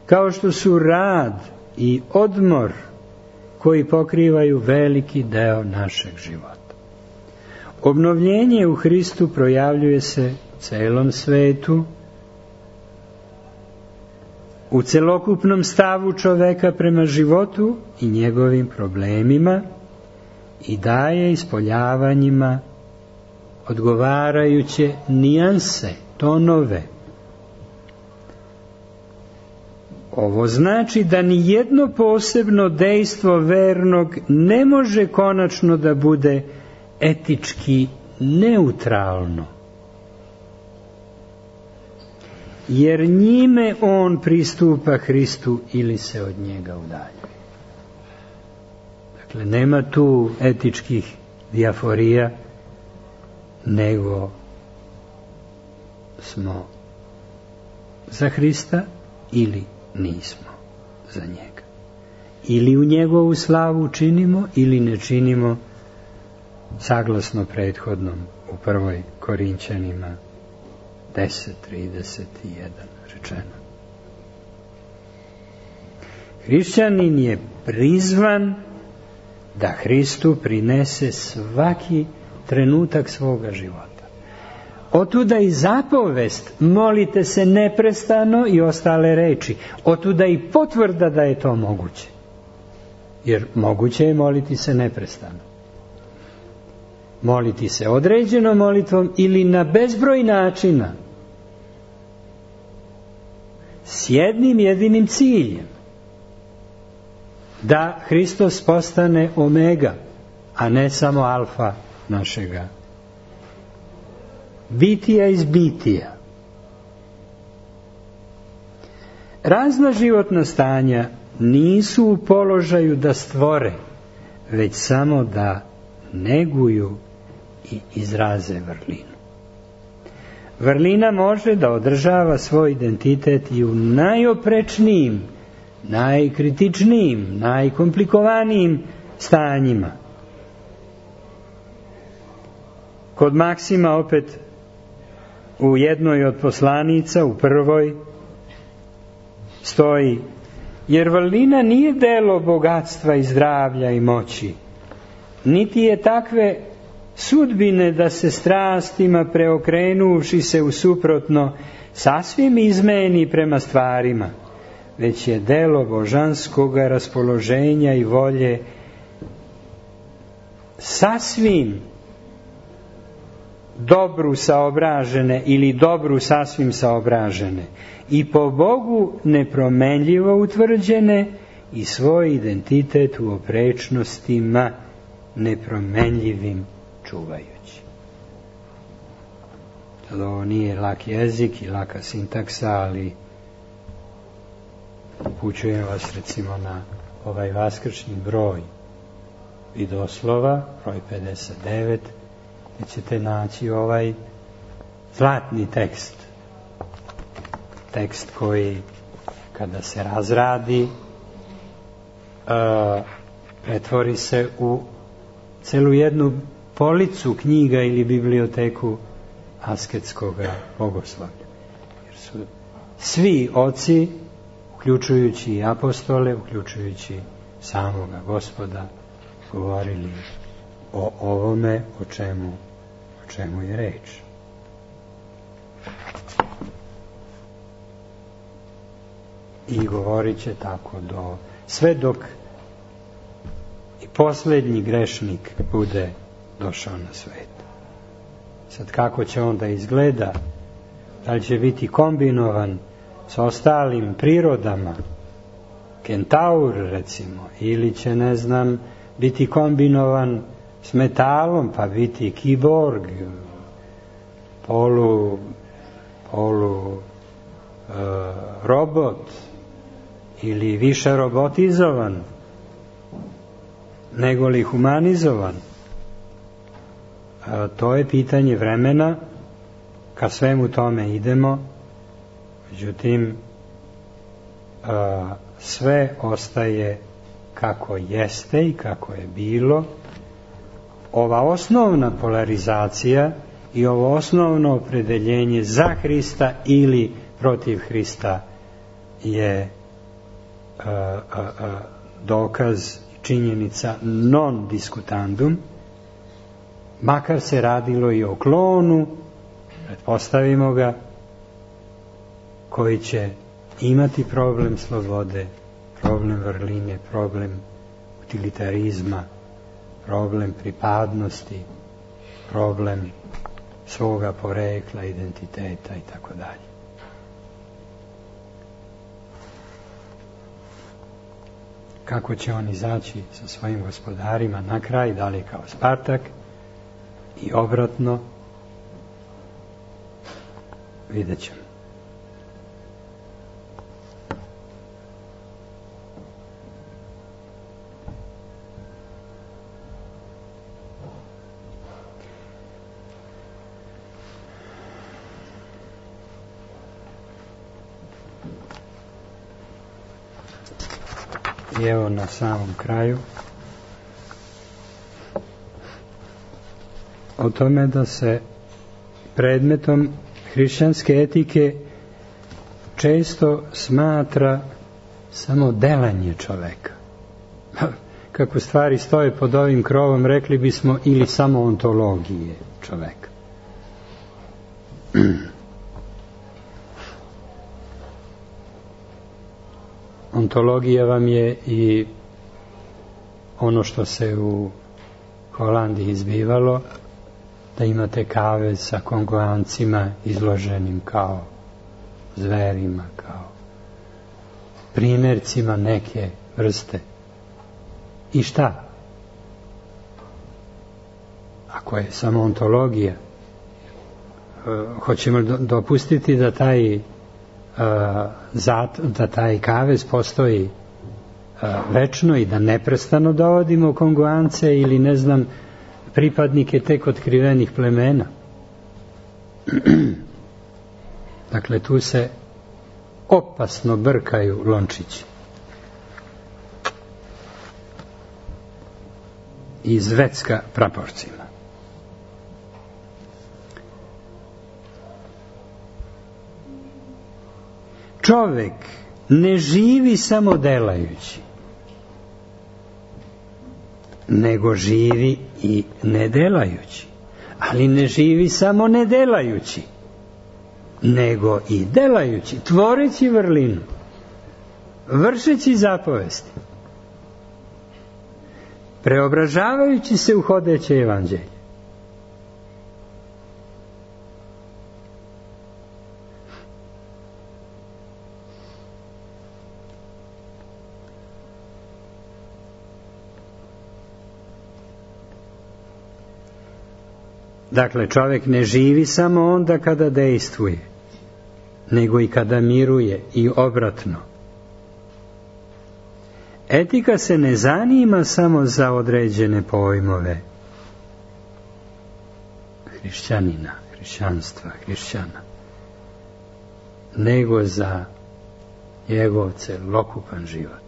kao što su rad i odmor, koji pokrivaju veliki deo našeg života. Obnovljenje u Hristu projavljuje se celom svetu, u celokupnom stavu čoveka prema životu i njegovim problemima, i daje ispoljavanjima odgovarajuće nijanse, tonove. Ovo znači da ni jedno posebno dejstvo vernog ne može konačno da bude etički neutralno, jer njime on pristupa Hristu ili se od njega udaljuje. Dakle, nema tu etičkih dijaforija, nego smo za Hrista ili nismo za njega. Ili u njegovu slavu činimo ili ne činimo, saglasno prethodnom u 1. Korinćanima 10:31 rečeno. Hrišćanin je prizvan da Hristu prinese svaki trenutak svoga života. Otuda i zapovest molite se neprestano i ostale reči. Otuda i potvrda da je to moguće. Jer moguće je moliti se neprestano. Moliti se određenom molitvom ili na bezbroj načina. S jednim jedinim ciljem. Da Hristos postane omega, a ne samo alfa našega bitija iz bitija. Razna životna stanja nisu u položaju da stvore, već samo da neguju i izraze vrlinu. Vrlina može da održava svoj identitet i u najoprečnijim, najkritičnijim, najkomplikovanijim stanjima. Kod Maksima opet u jednoj od poslanica, u 1. stoji: jer vrlina nije delo bogatstva i zdravlja i moći, niti je takve sudbine da se strastima preokrenuvši se u suprotno sasvim izmeni prema stvarima, već je delo božanskoga raspoloženja i volje sasvim dobru saobražene ili dobru sasvim saobražene i po Bogu nepromenljivo utvrđene i svoj identitet u oprečnostima nepromenljivim čuvajući. Sad ovo nije lak jezik i laka sintaksa, ali upućujem vas recimo na ovaj vaskršnji broj vidoslova, broj 59, gdje ćete naći ovaj zlatni tekst. Tekst koji, kada se razradi, pretvori se u celu jednu policu knjiga ili biblioteku asketskog bogoslovlja. Jer su svi oci, uključujući i apostole, uključujući samoga Gospoda, govorili o ovome o čemu je reč. I govorit će tako sve dok i posljednji grešnik bude došao na svet. Sad kako će onda izgleda? Da li će biti kombinovan s ostalim prirodama, kentaur recimo, ili će, ne znam, biti kombinovan s metalom, pa biti kiborg, polu robot, ili više robotizovan nego li humanizovan. To je pitanje vremena, ka svemu tome idemo, međutim sve ostaje kako jeste i kako je bilo. Ova osnovna polarizacija i ovo osnovno opredeljenje za Hrista ili protiv Hrista je dokaz i činjenica non discutandum, makar se radilo i o klonu, pretpostavimo ga, koji će imati problem slobode, problem vrline, problem utilitarizma, problem pripadnosti, problem svoga porekla, identiteta i tako dalje. kako će on izaći sa svojim gospodarima na kraj, da li kao Spartak i obratno, vidjet ćemo. I evo na samom kraju o tome da se predmetom hrišćanske etike često smatra samo delanje čoveka. Kako stvari stoje pod ovim krovom, rekli bismo ili samo ontologije čoveka. Ontologija vam je i ono što se u Holandiji izbivalo, da imate kavez sa kongoancima izloženim kao zverima, kao primjercima neke vrste. I šta? Ako je samo ontologija, hoćemo dopustiti da taj kavez postoji večno i da neprestano dovodimo kongoance ili ne znam pripadnike tek otkrivenih plemena. Dakle, tu se opasno brkaju lončići i zvecka praporcima. Čovek ne živi samo delajući, nego živi i ne delajući. Ali ne živi samo ne delajući, nego i delajući, tvoreći vrlinu, vršeći zapovesti, preobražavajući se u hodeće evanđelje. Dakle, čovjek ne živi samo onda kada dejstvuje, nego i kada miruje i obratno. Etika se ne zanima samo za određene pojmove hrišćanina, hrišćanstva, hrišćana, nego za njegov celokupan život.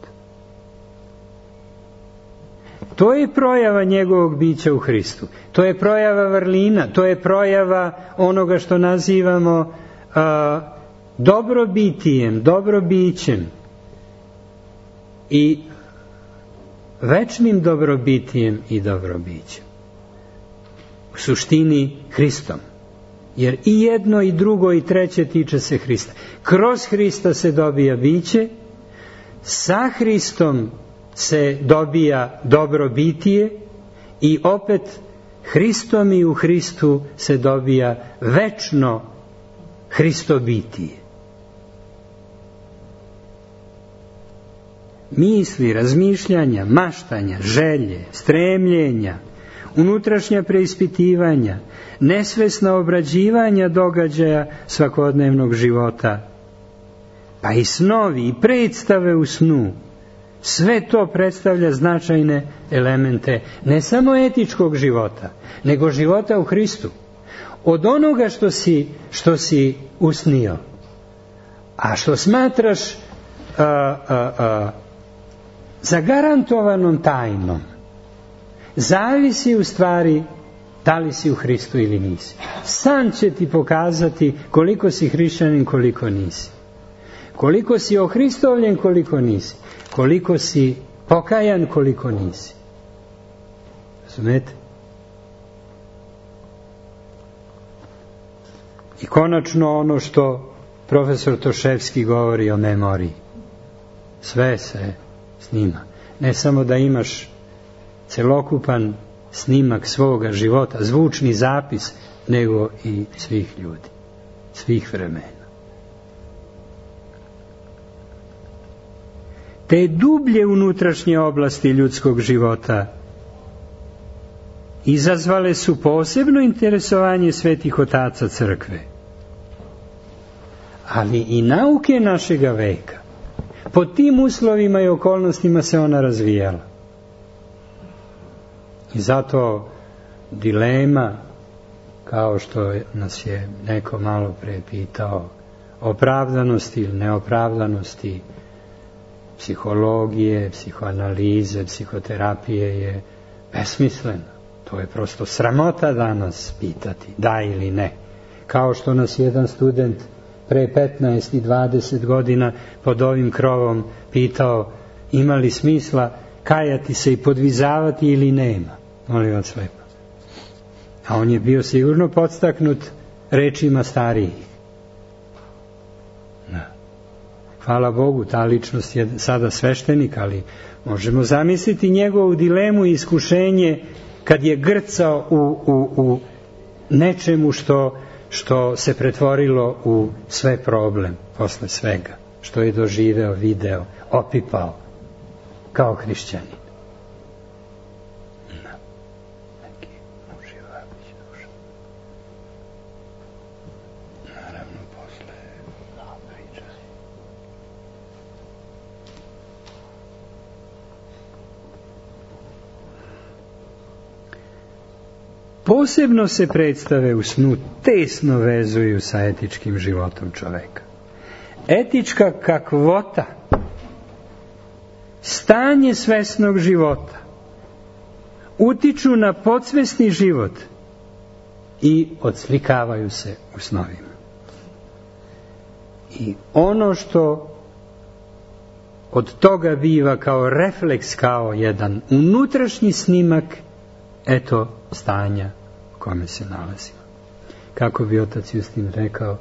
To je projava njegovog bića u Hristu. To je projava vrlina, to je projava onoga što nazivamo dobrobitijem, dobrobićem i večnim dobrobitijem i dobrobićem. U suštini Hristom. Jer i jedno i drugo i treće tiče se Hrista. Kroz Hrista se dobija biće, sa Hristom se dobija dobrobitije i opet Hristom i u Hristu se dobija večno Hristobitije. Misli, razmišljanja, maštanja, želje, stremljenja, unutrašnja preispitivanja, nesvesna obrađivanja događaja svakodnevnog života, pa i snovi i predstave u snu, sve to predstavlja značajne elemente ne samo etičkog života, nego života u Hristu. Od onoga što si usnio, a što smatraš zagarantovanom tajnom, zavisi u stvari da li si u Hristu ili nisi. San će ti pokazati koliko si hrišćanin, koliko nisi. Koliko si ohristovljen, koliko nisi. Koliko si pokajan, koliko nisi. Razumete? I konačno ono što profesor Toševski govori o memoriji. Sve se snima. Ne samo da imaš celokupan snimak svoga života, zvučni zapis, nego i svih ljudi, svih vremena. te dublje unutrašnje oblasti ljudskog života izazvale su posebno interesovanje svetih otaca crkve, ali i nauke našega veka. Pod tim uslovima i okolnostima se ona razvijala. I zato dilema, kao što nas je neko malo pre pitao, opravdanosti ili neopravdanosti psihologije, psihoanalize, psihoterapije je besmislena. To je prosto sramota danas pitati, da ili ne. Kao što nas jedan student pre 15 i 20 godina pod ovim krovom pitao ima li smisla kajati se i podvizavati ili nema. Molim vas lepo. A on je bio sigurno podstaknut rečima starijih. Da. Hvala Bogu, ta ličnost je sada sveštenik, ali možemo zamisliti njegovu dilemu i iskušenje kad je grcao u nečemu što se pretvorilo u sve problem posle svega, što je doživeo, video, opipao kao hrišćanin. Neki uživavić duša. Naravno, posle priča. Posebno se predstave u snu tesno vezuju sa etičkim životom čoveka. Etička kakvota, stanje svesnog života, utiču na podsvesni život i odslikavaju se u snovima. I ono što od toga biva kao refleks, kao jedan unutrašnji snimak, eto stanja u kome se nalazimo. Kako bi otac Justin rekao,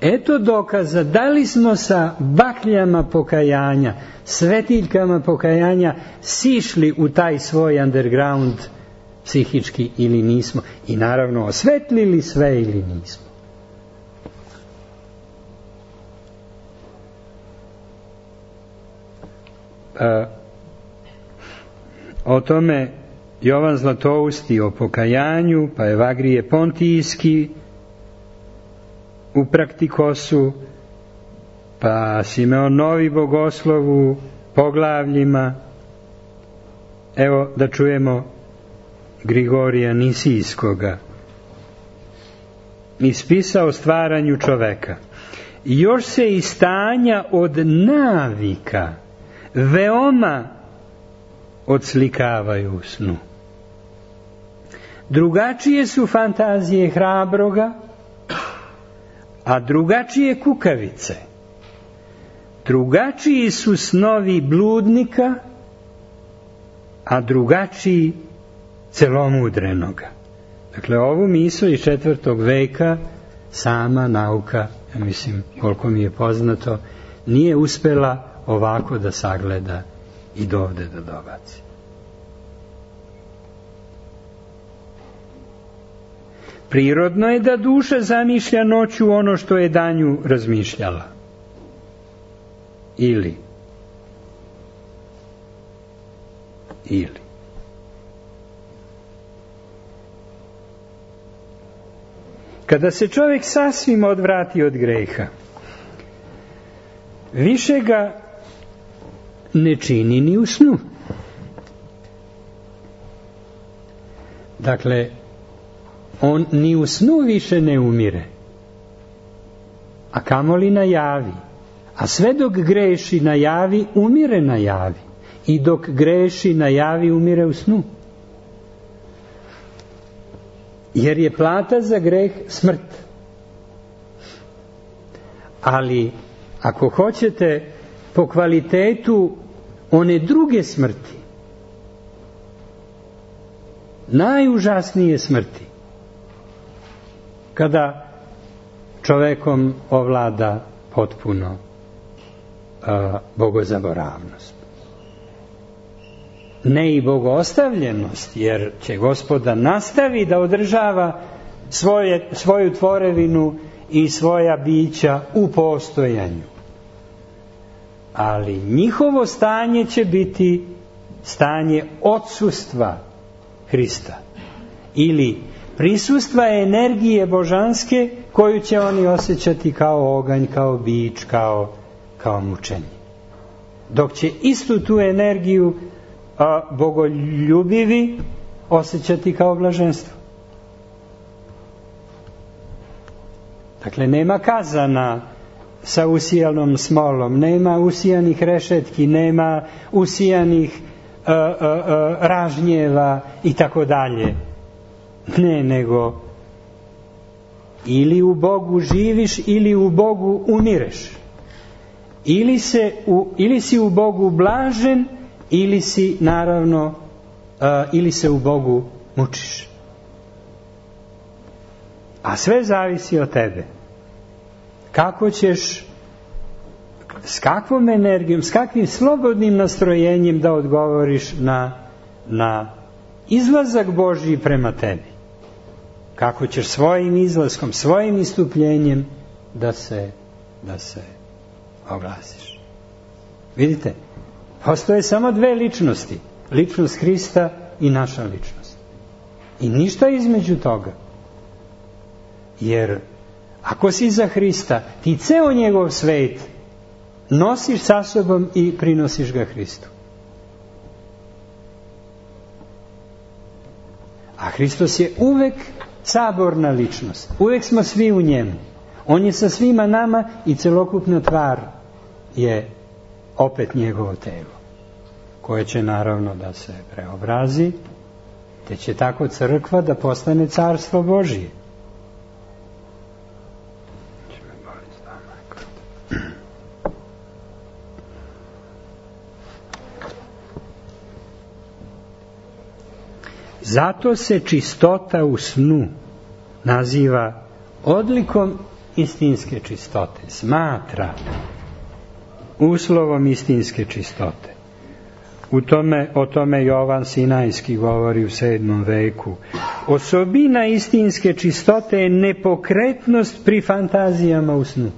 eto dokaza da li smo sa bakljama pokajanja, svetiljkama pokajanja sišli u taj svoj underground psihički ili nismo. I naravno osvetlili sve ili nismo. O tome Jovan Zlatousti o pokajanju, pa Evagrije Pontijski u Praktikosu, pa Simeon Novi Bogoslov u poglavljima. Evo da čujemo Grigorija Nisijskoga. Iz spisa o stvaranju čoveka. Još se i stanja od navika veoma odslikavaju u snu. Drugačije su fantazije hrabroga, a drugačije kukavice. Drugačiji su snovi bludnika, a drugačiji celomudrenoga. Dakle, ovu misao iz 4. veka sama nauka, ja mislim, koliko mi je poznato, nije uspela ovako da sagleda i dovde da dobaci. Prirodno je da duša zamišlja noću ono što je danju razmišljala. Ili. Kada se čovjek sasvim odvrati od greha, više ga ne čini ni u snu. Dakle, on ni u snu više ne umire, a kamoli na javi. A sve dok greši na javi, umire na javi. I dok greši na javi, umire u snu. Jer je plata za greh smrt. Ali, ako hoćete, po kvalitetu one druge smrti, najužasnije smrti, kada čovekom ovlada potpuno bogozaboravnost. Ne i bogostavljenost, jer će Gospoda nastavi da održava svoju tvorevinu i svoja bića u postojanju. ali njihovo stanje će biti stanje odsustva Hrista ili prisustva energije božanske koju će oni osjećati kao oganj, kao bič, kao mučenje. Dok će istu tu energiju bogoljubivi osjećati kao blaženstvo. Dakle, nema kazana sa usijanom smolom, nema usijanih rešetki, nema usijanih ražnjeva i tako dalje. Ne, nego ili u Bogu živiš ili u Bogu umireš. Ili si u Bogu blažen ili si naravno ili se u Bogu mučiš. A sve zavisi od tebe. Kako ćeš, s kakvom energijom, s kakvim slobodnim nastrojenjem da odgovoriš na izlazak Božji prema tebi. Kako ćeš svojim izlaskom, svojim istupljenjem da se oglasiš. Vidite, postoje samo dve ličnosti. Ličnost Hrista i naša ličnost. I ništa između toga. Jer ako si za Hrista, ti ceo njegov svet nosiš sa sobom i prinosiš ga Hristu. A Hristos je uvek saborna ličnost. Uvek smo svi u njemu. On je sa svima nama i celokupna tvar je opet njegovo telo, koje će naravno da se preobrazi, te će tako crkva da postane carstvo Božije. Zato se čistota u snu naziva odlikom istinske čistote, smatra uslovom istinske čistote. O tome Jovan Sinajski govori u 7. veku. Osobina istinske čistote je nepokretnost pri fantazijama u snu.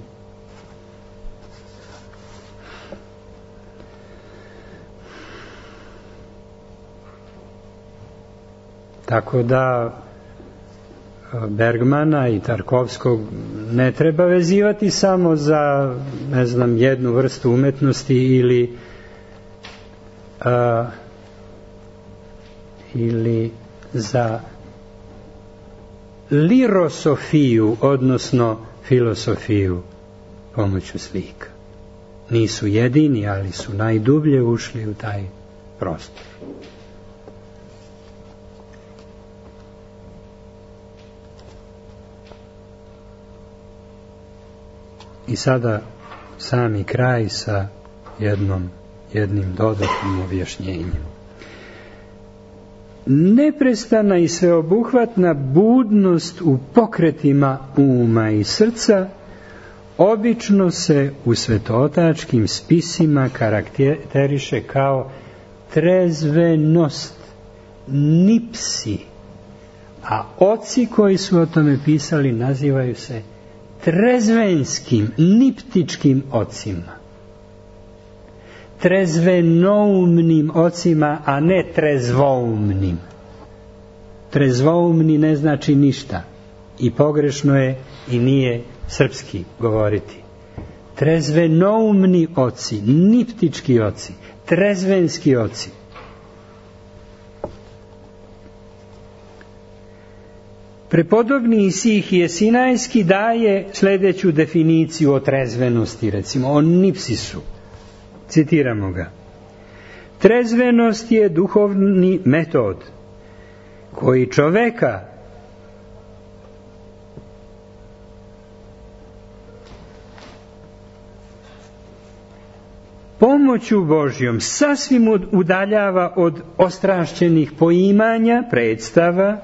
Tako da Bergmana i Tarkovskog ne treba vezivati samo za, ne znam, jednu vrstu umetnosti ili za lirosofiju, odnosno filosofiju pomoću slika. Nisu jedini, ali su najdublje ušli u taj prostor. I sada sami kraj sa jednim dodatnim objašnjenjem. Neprestana i sveobuhvatna budnost u pokretima uma i srca obično se u svetotačkim spisima karakteriše kao trezvenost, nipsi, a oci koji su o tome pisali nazivaju se trezvenskim, niptičkim ocima. Trezvenoumnim ocima, a ne trezvoumnim. Trezvoumni ne znači ništa. I pogrešno je i nije srpski govoriti. Trezvenoumni oci, niptički oci, trezvenski oci. Prepodobni Isihije Sinajski daje sljedeću definiciju o trezvenosti, recimo o nipsisu. Citiramo ga. Trezvenost je duhovni metod koji čoveka pomoću Božjom sasvim udaljava od ostrašćenih poimanja, predstava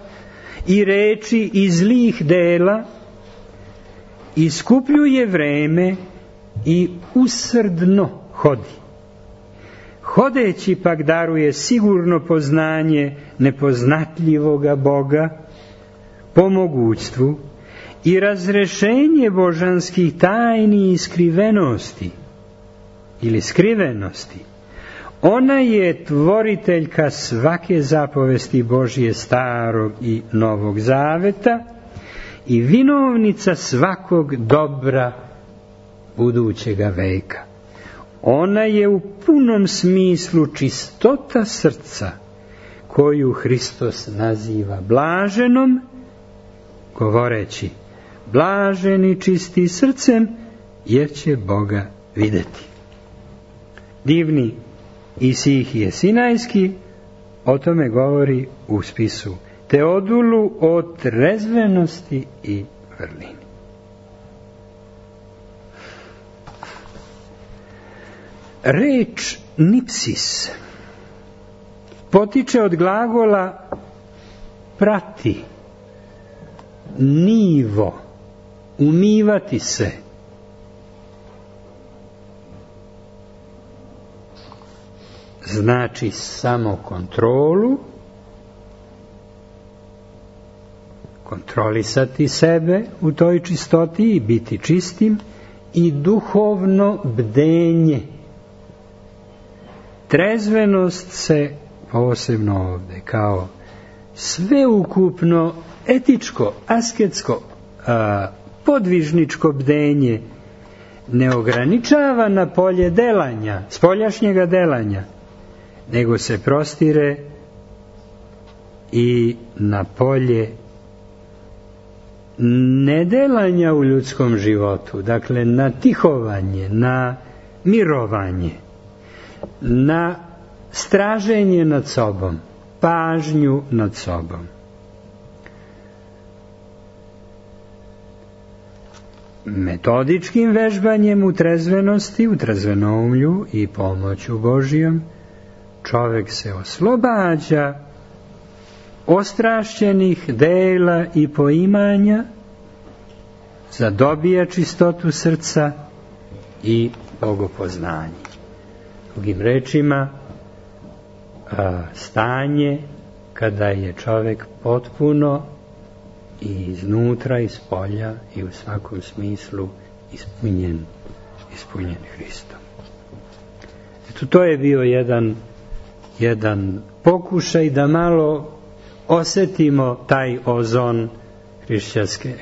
i reči i zlih dela, iskupljuje vreme i usrdno hodi. Hodeći pak daruje sigurno poznanje nepoznatljivoga Boga po mogućstvu i razrešenje božanskih tajni i skrivenosti, ili skrivenosti. Ona je tvoriteljka svake zapovesti Božje starog i novog zaveta i vinovnica svakog dobra budućega veka. Ona je u punom smislu čistota srca koju Hristos naziva blaženom, govoreći: blaženi čisti srcem, jer će Boga vidjeti. Divni Isihije Sinajski o tome govori u spisu Teodulu o trezvenosti i vrlini. Reč nipsis potiče od glagola prati, nivo, umivati se. Znači samokontrolu, kontrolisati sebe u toj čistoti i biti čistim, i duhovno bdenje. Trezvenost se posebno ovdje kao sveukupno etičko, asketsko, podvižničko bdenje ne ograničava na polje delanja, spoljašnjega delanja, nego se prostire i na polje nedelanja u ljudskom životu, dakle na tihovanje, na mirovanje, na straženje nad sobom, pažnju nad sobom. Metodičkim vežbanjem u trezvenosti, u trezvenoumlju i pomoću Božijom, čovjek se oslobađa ostrašćenih dela i poimanja, zadobija čistotu srca i bogopoznanje. Drugim rečima, stanje kada je čovjek potpuno i iznutra, iz polja i u svakom smislu ispunjen Hristom. Eto, to je bio jedan pokušaj da malo osjetimo taj ozon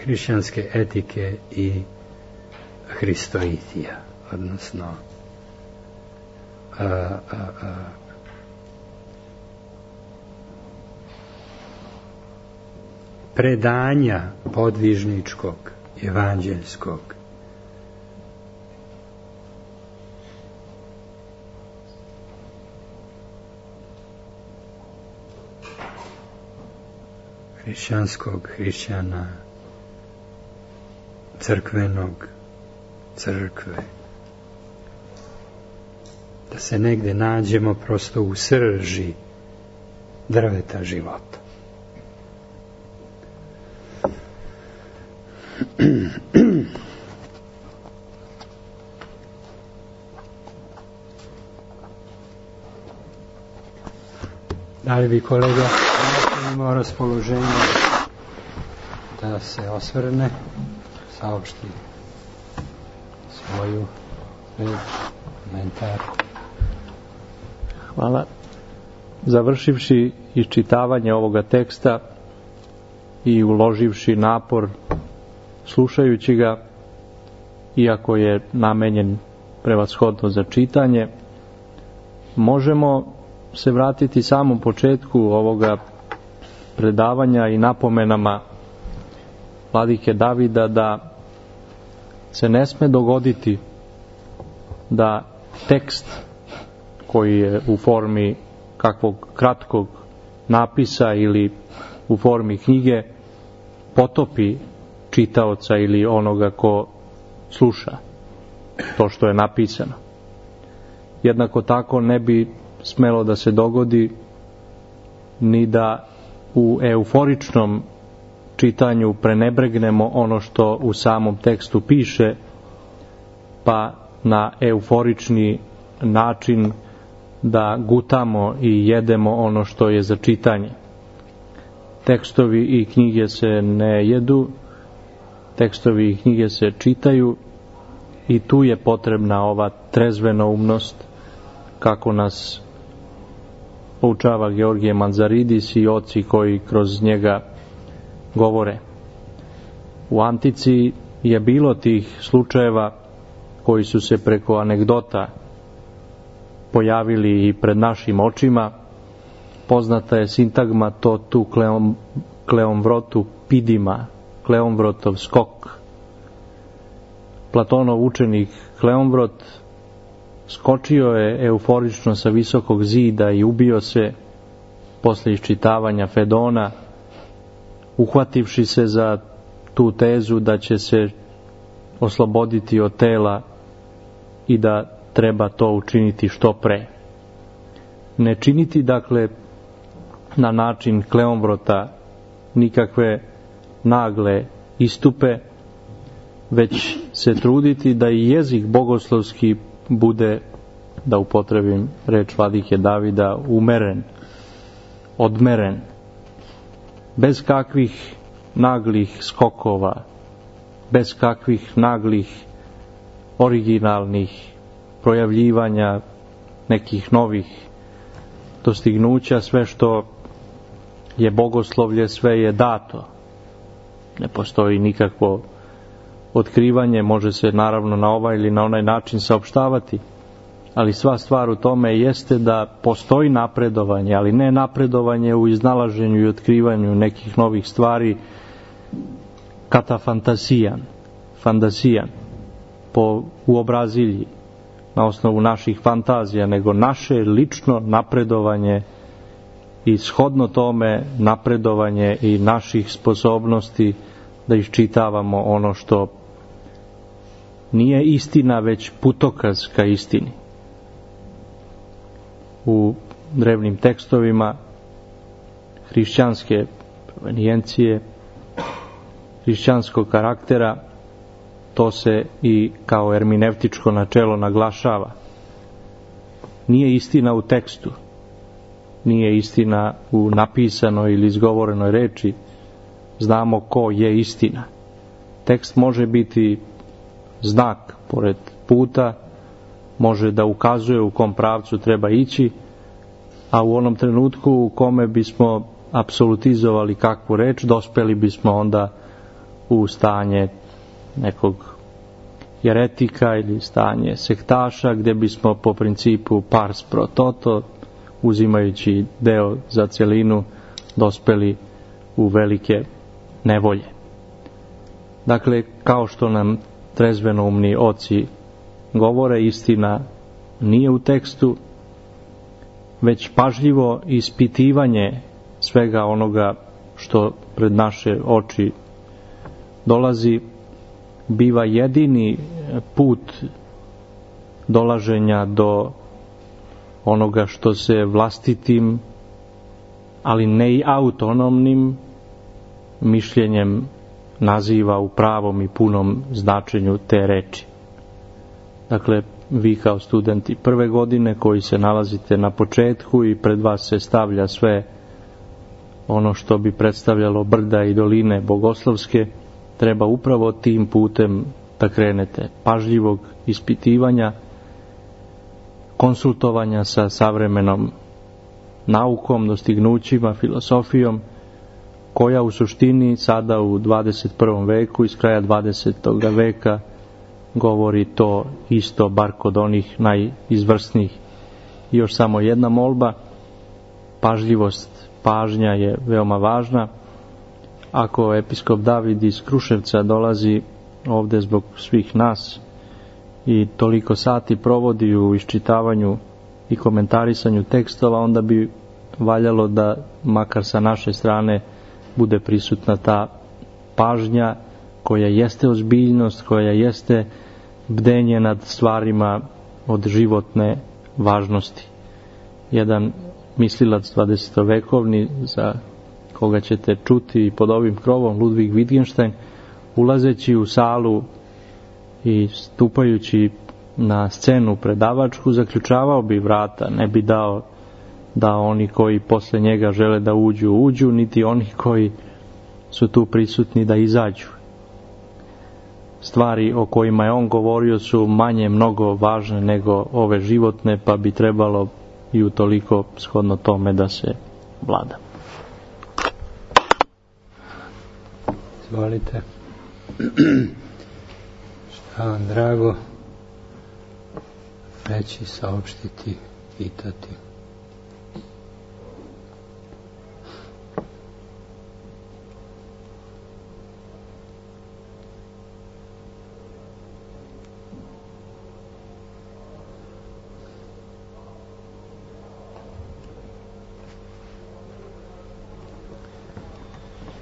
hrišćanske etike i hristoitija, odnosno predanja podvižničkog, evanđeljskog. Hrišćanskog, hrišćana, crkvenog, crkve. Da se negde nađemo prosto u srži drveta života. Da li bi kolega imao raspoloženje da se osvrne, saopšti svoju komentar? Hvala. Završivši iščitavanje ovoga teksta i uloživši napor slušajući ga, iako je namenjen prevashodno za čitanje, možemo se vratiti samom početku ovoga predavanja i napomenama vladike Davida da se ne sme dogoditi da tekst koji je u formi kakvog kratkog napisa ili u formi knjige potopi čitaoca ili onoga ko sluša to što je napisano. Jednako tako ne bi smelo da se dogodi ni da u euforičnom čitanju prenebregnemo ono što u samom tekstu piše, pa na euforični način da gutamo i jedemo ono što je za čitanje. Tekstovi i knjige se ne jedu, tekstovi i knjige se čitaju i tu je potrebna ova trezvenoumnost, kako nas poučava Georgije Manzaridis i oci koji kroz njega govore. U antici je bilo tih slučajeva koji su se preko anegdota pojavili i pred našim očima. Poznata je sintagma to tu Kleomvrotu pidima, Kleomvrotov skok. Platonov učenik Kleomvrot skočio je euforično sa visokog zida i ubio se posle iščitavanja Fedona, uhvativši se za tu tezu da će se osloboditi od tela i da treba to učiniti što pre. Ne činiti, dakle, na način Kleomvrota nikakve nagle istupe, već se truditi da i jezik bogoslovski bude, da upotrebim reč vladike Davida, umeren, odmeren, bez kakvih naglih skokova, bez kakvih naglih originalnih projavljivanja nekih novih dostignuća. Sve što je bogoslovlje, sve je dato. Ne postoji nikakvo otkrivanje, može se naravno na ovaj ili na onaj način saopštavati, ali sva stvar u tome jeste da postoji napredovanje, ali ne napredovanje u iznalaženju i otkrivanju nekih novih stvari katafantasijan, po uobrazilji, na osnovu naših fantazija, nego naše lično napredovanje i shodno tome napredovanje i naših sposobnosti da iščitavamo ono što nije istina, već putokaz ka istini. U drevnim tekstovima hrišćanske provenijencije, hrišćanskog karaktera, to se i kao ermineutičko načelo naglašava. Nije istina u tekstu, nije istina u napisanoj ili izgovorenoj reči, znamo ko je istina. Tekst može biti znak pored puta, može da ukazuje u kom pravcu treba ići, a u onom trenutku u kome bismo apsolutizovali kakvu reč, dospeli bismo onda u stanje nekog jeretika ili stanje sektaša, gdje bismo po principu pars pro toto, uzimajući deo za celinu, dospeli u velike nevolje. Dakle, kao što nam trezvenoumni oci govore, istina nije u tekstu, već pažljivo ispitivanje svega onoga što pred naše oči dolazi, biva jedini put dolaženja do onoga što se vlastitim, ali ne i autonomnim mišljenjem naziva u pravom i punom značenju te reči. Dakle, vi kao studenti prve godine koji se nalazite na početku i pred vas se stavlja sve ono što bi predstavljalo brda i doline bogoslovske, treba upravo tim putem da krenete, pažljivog ispitivanja, konsultovanja sa savremenom naukom, dostignućima, filosofijom, koja u suštini sada u 21. veku, iz kraja 20. veka, govori to isto, bar kod onih najizvrsnijih. I još samo jedna molba, pažljivost, pažnja je veoma važna. Ako episkop David iz Kruševca dolazi ovde zbog svih nas i toliko sati provodi u iščitavanju i komentarisanju tekstova, onda bi valjalo da makar sa naše strane bude prisutna ta pažnja koja jeste ozbiljnost, koja jeste bdenje nad stvarima od životne važnosti. Jedan mislilac 20. vekovni, za koga ćete čuti pod ovim krovom, Ludwig Wittgenstein, ulazeći u salu i stupajući na scenu predavačku, zaključavao bi vrata, ne bi dao da oni koji posle njega žele da uđu, niti oni koji su tu prisutni da izađu. stvari o kojima je on govorio su manje mnogo važne nego ove životne, pa bi trebalo i utoliko shodno tome da se vlada. Izvolite. Šta vam drago reći, saopštiti, pitati?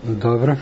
Dobro.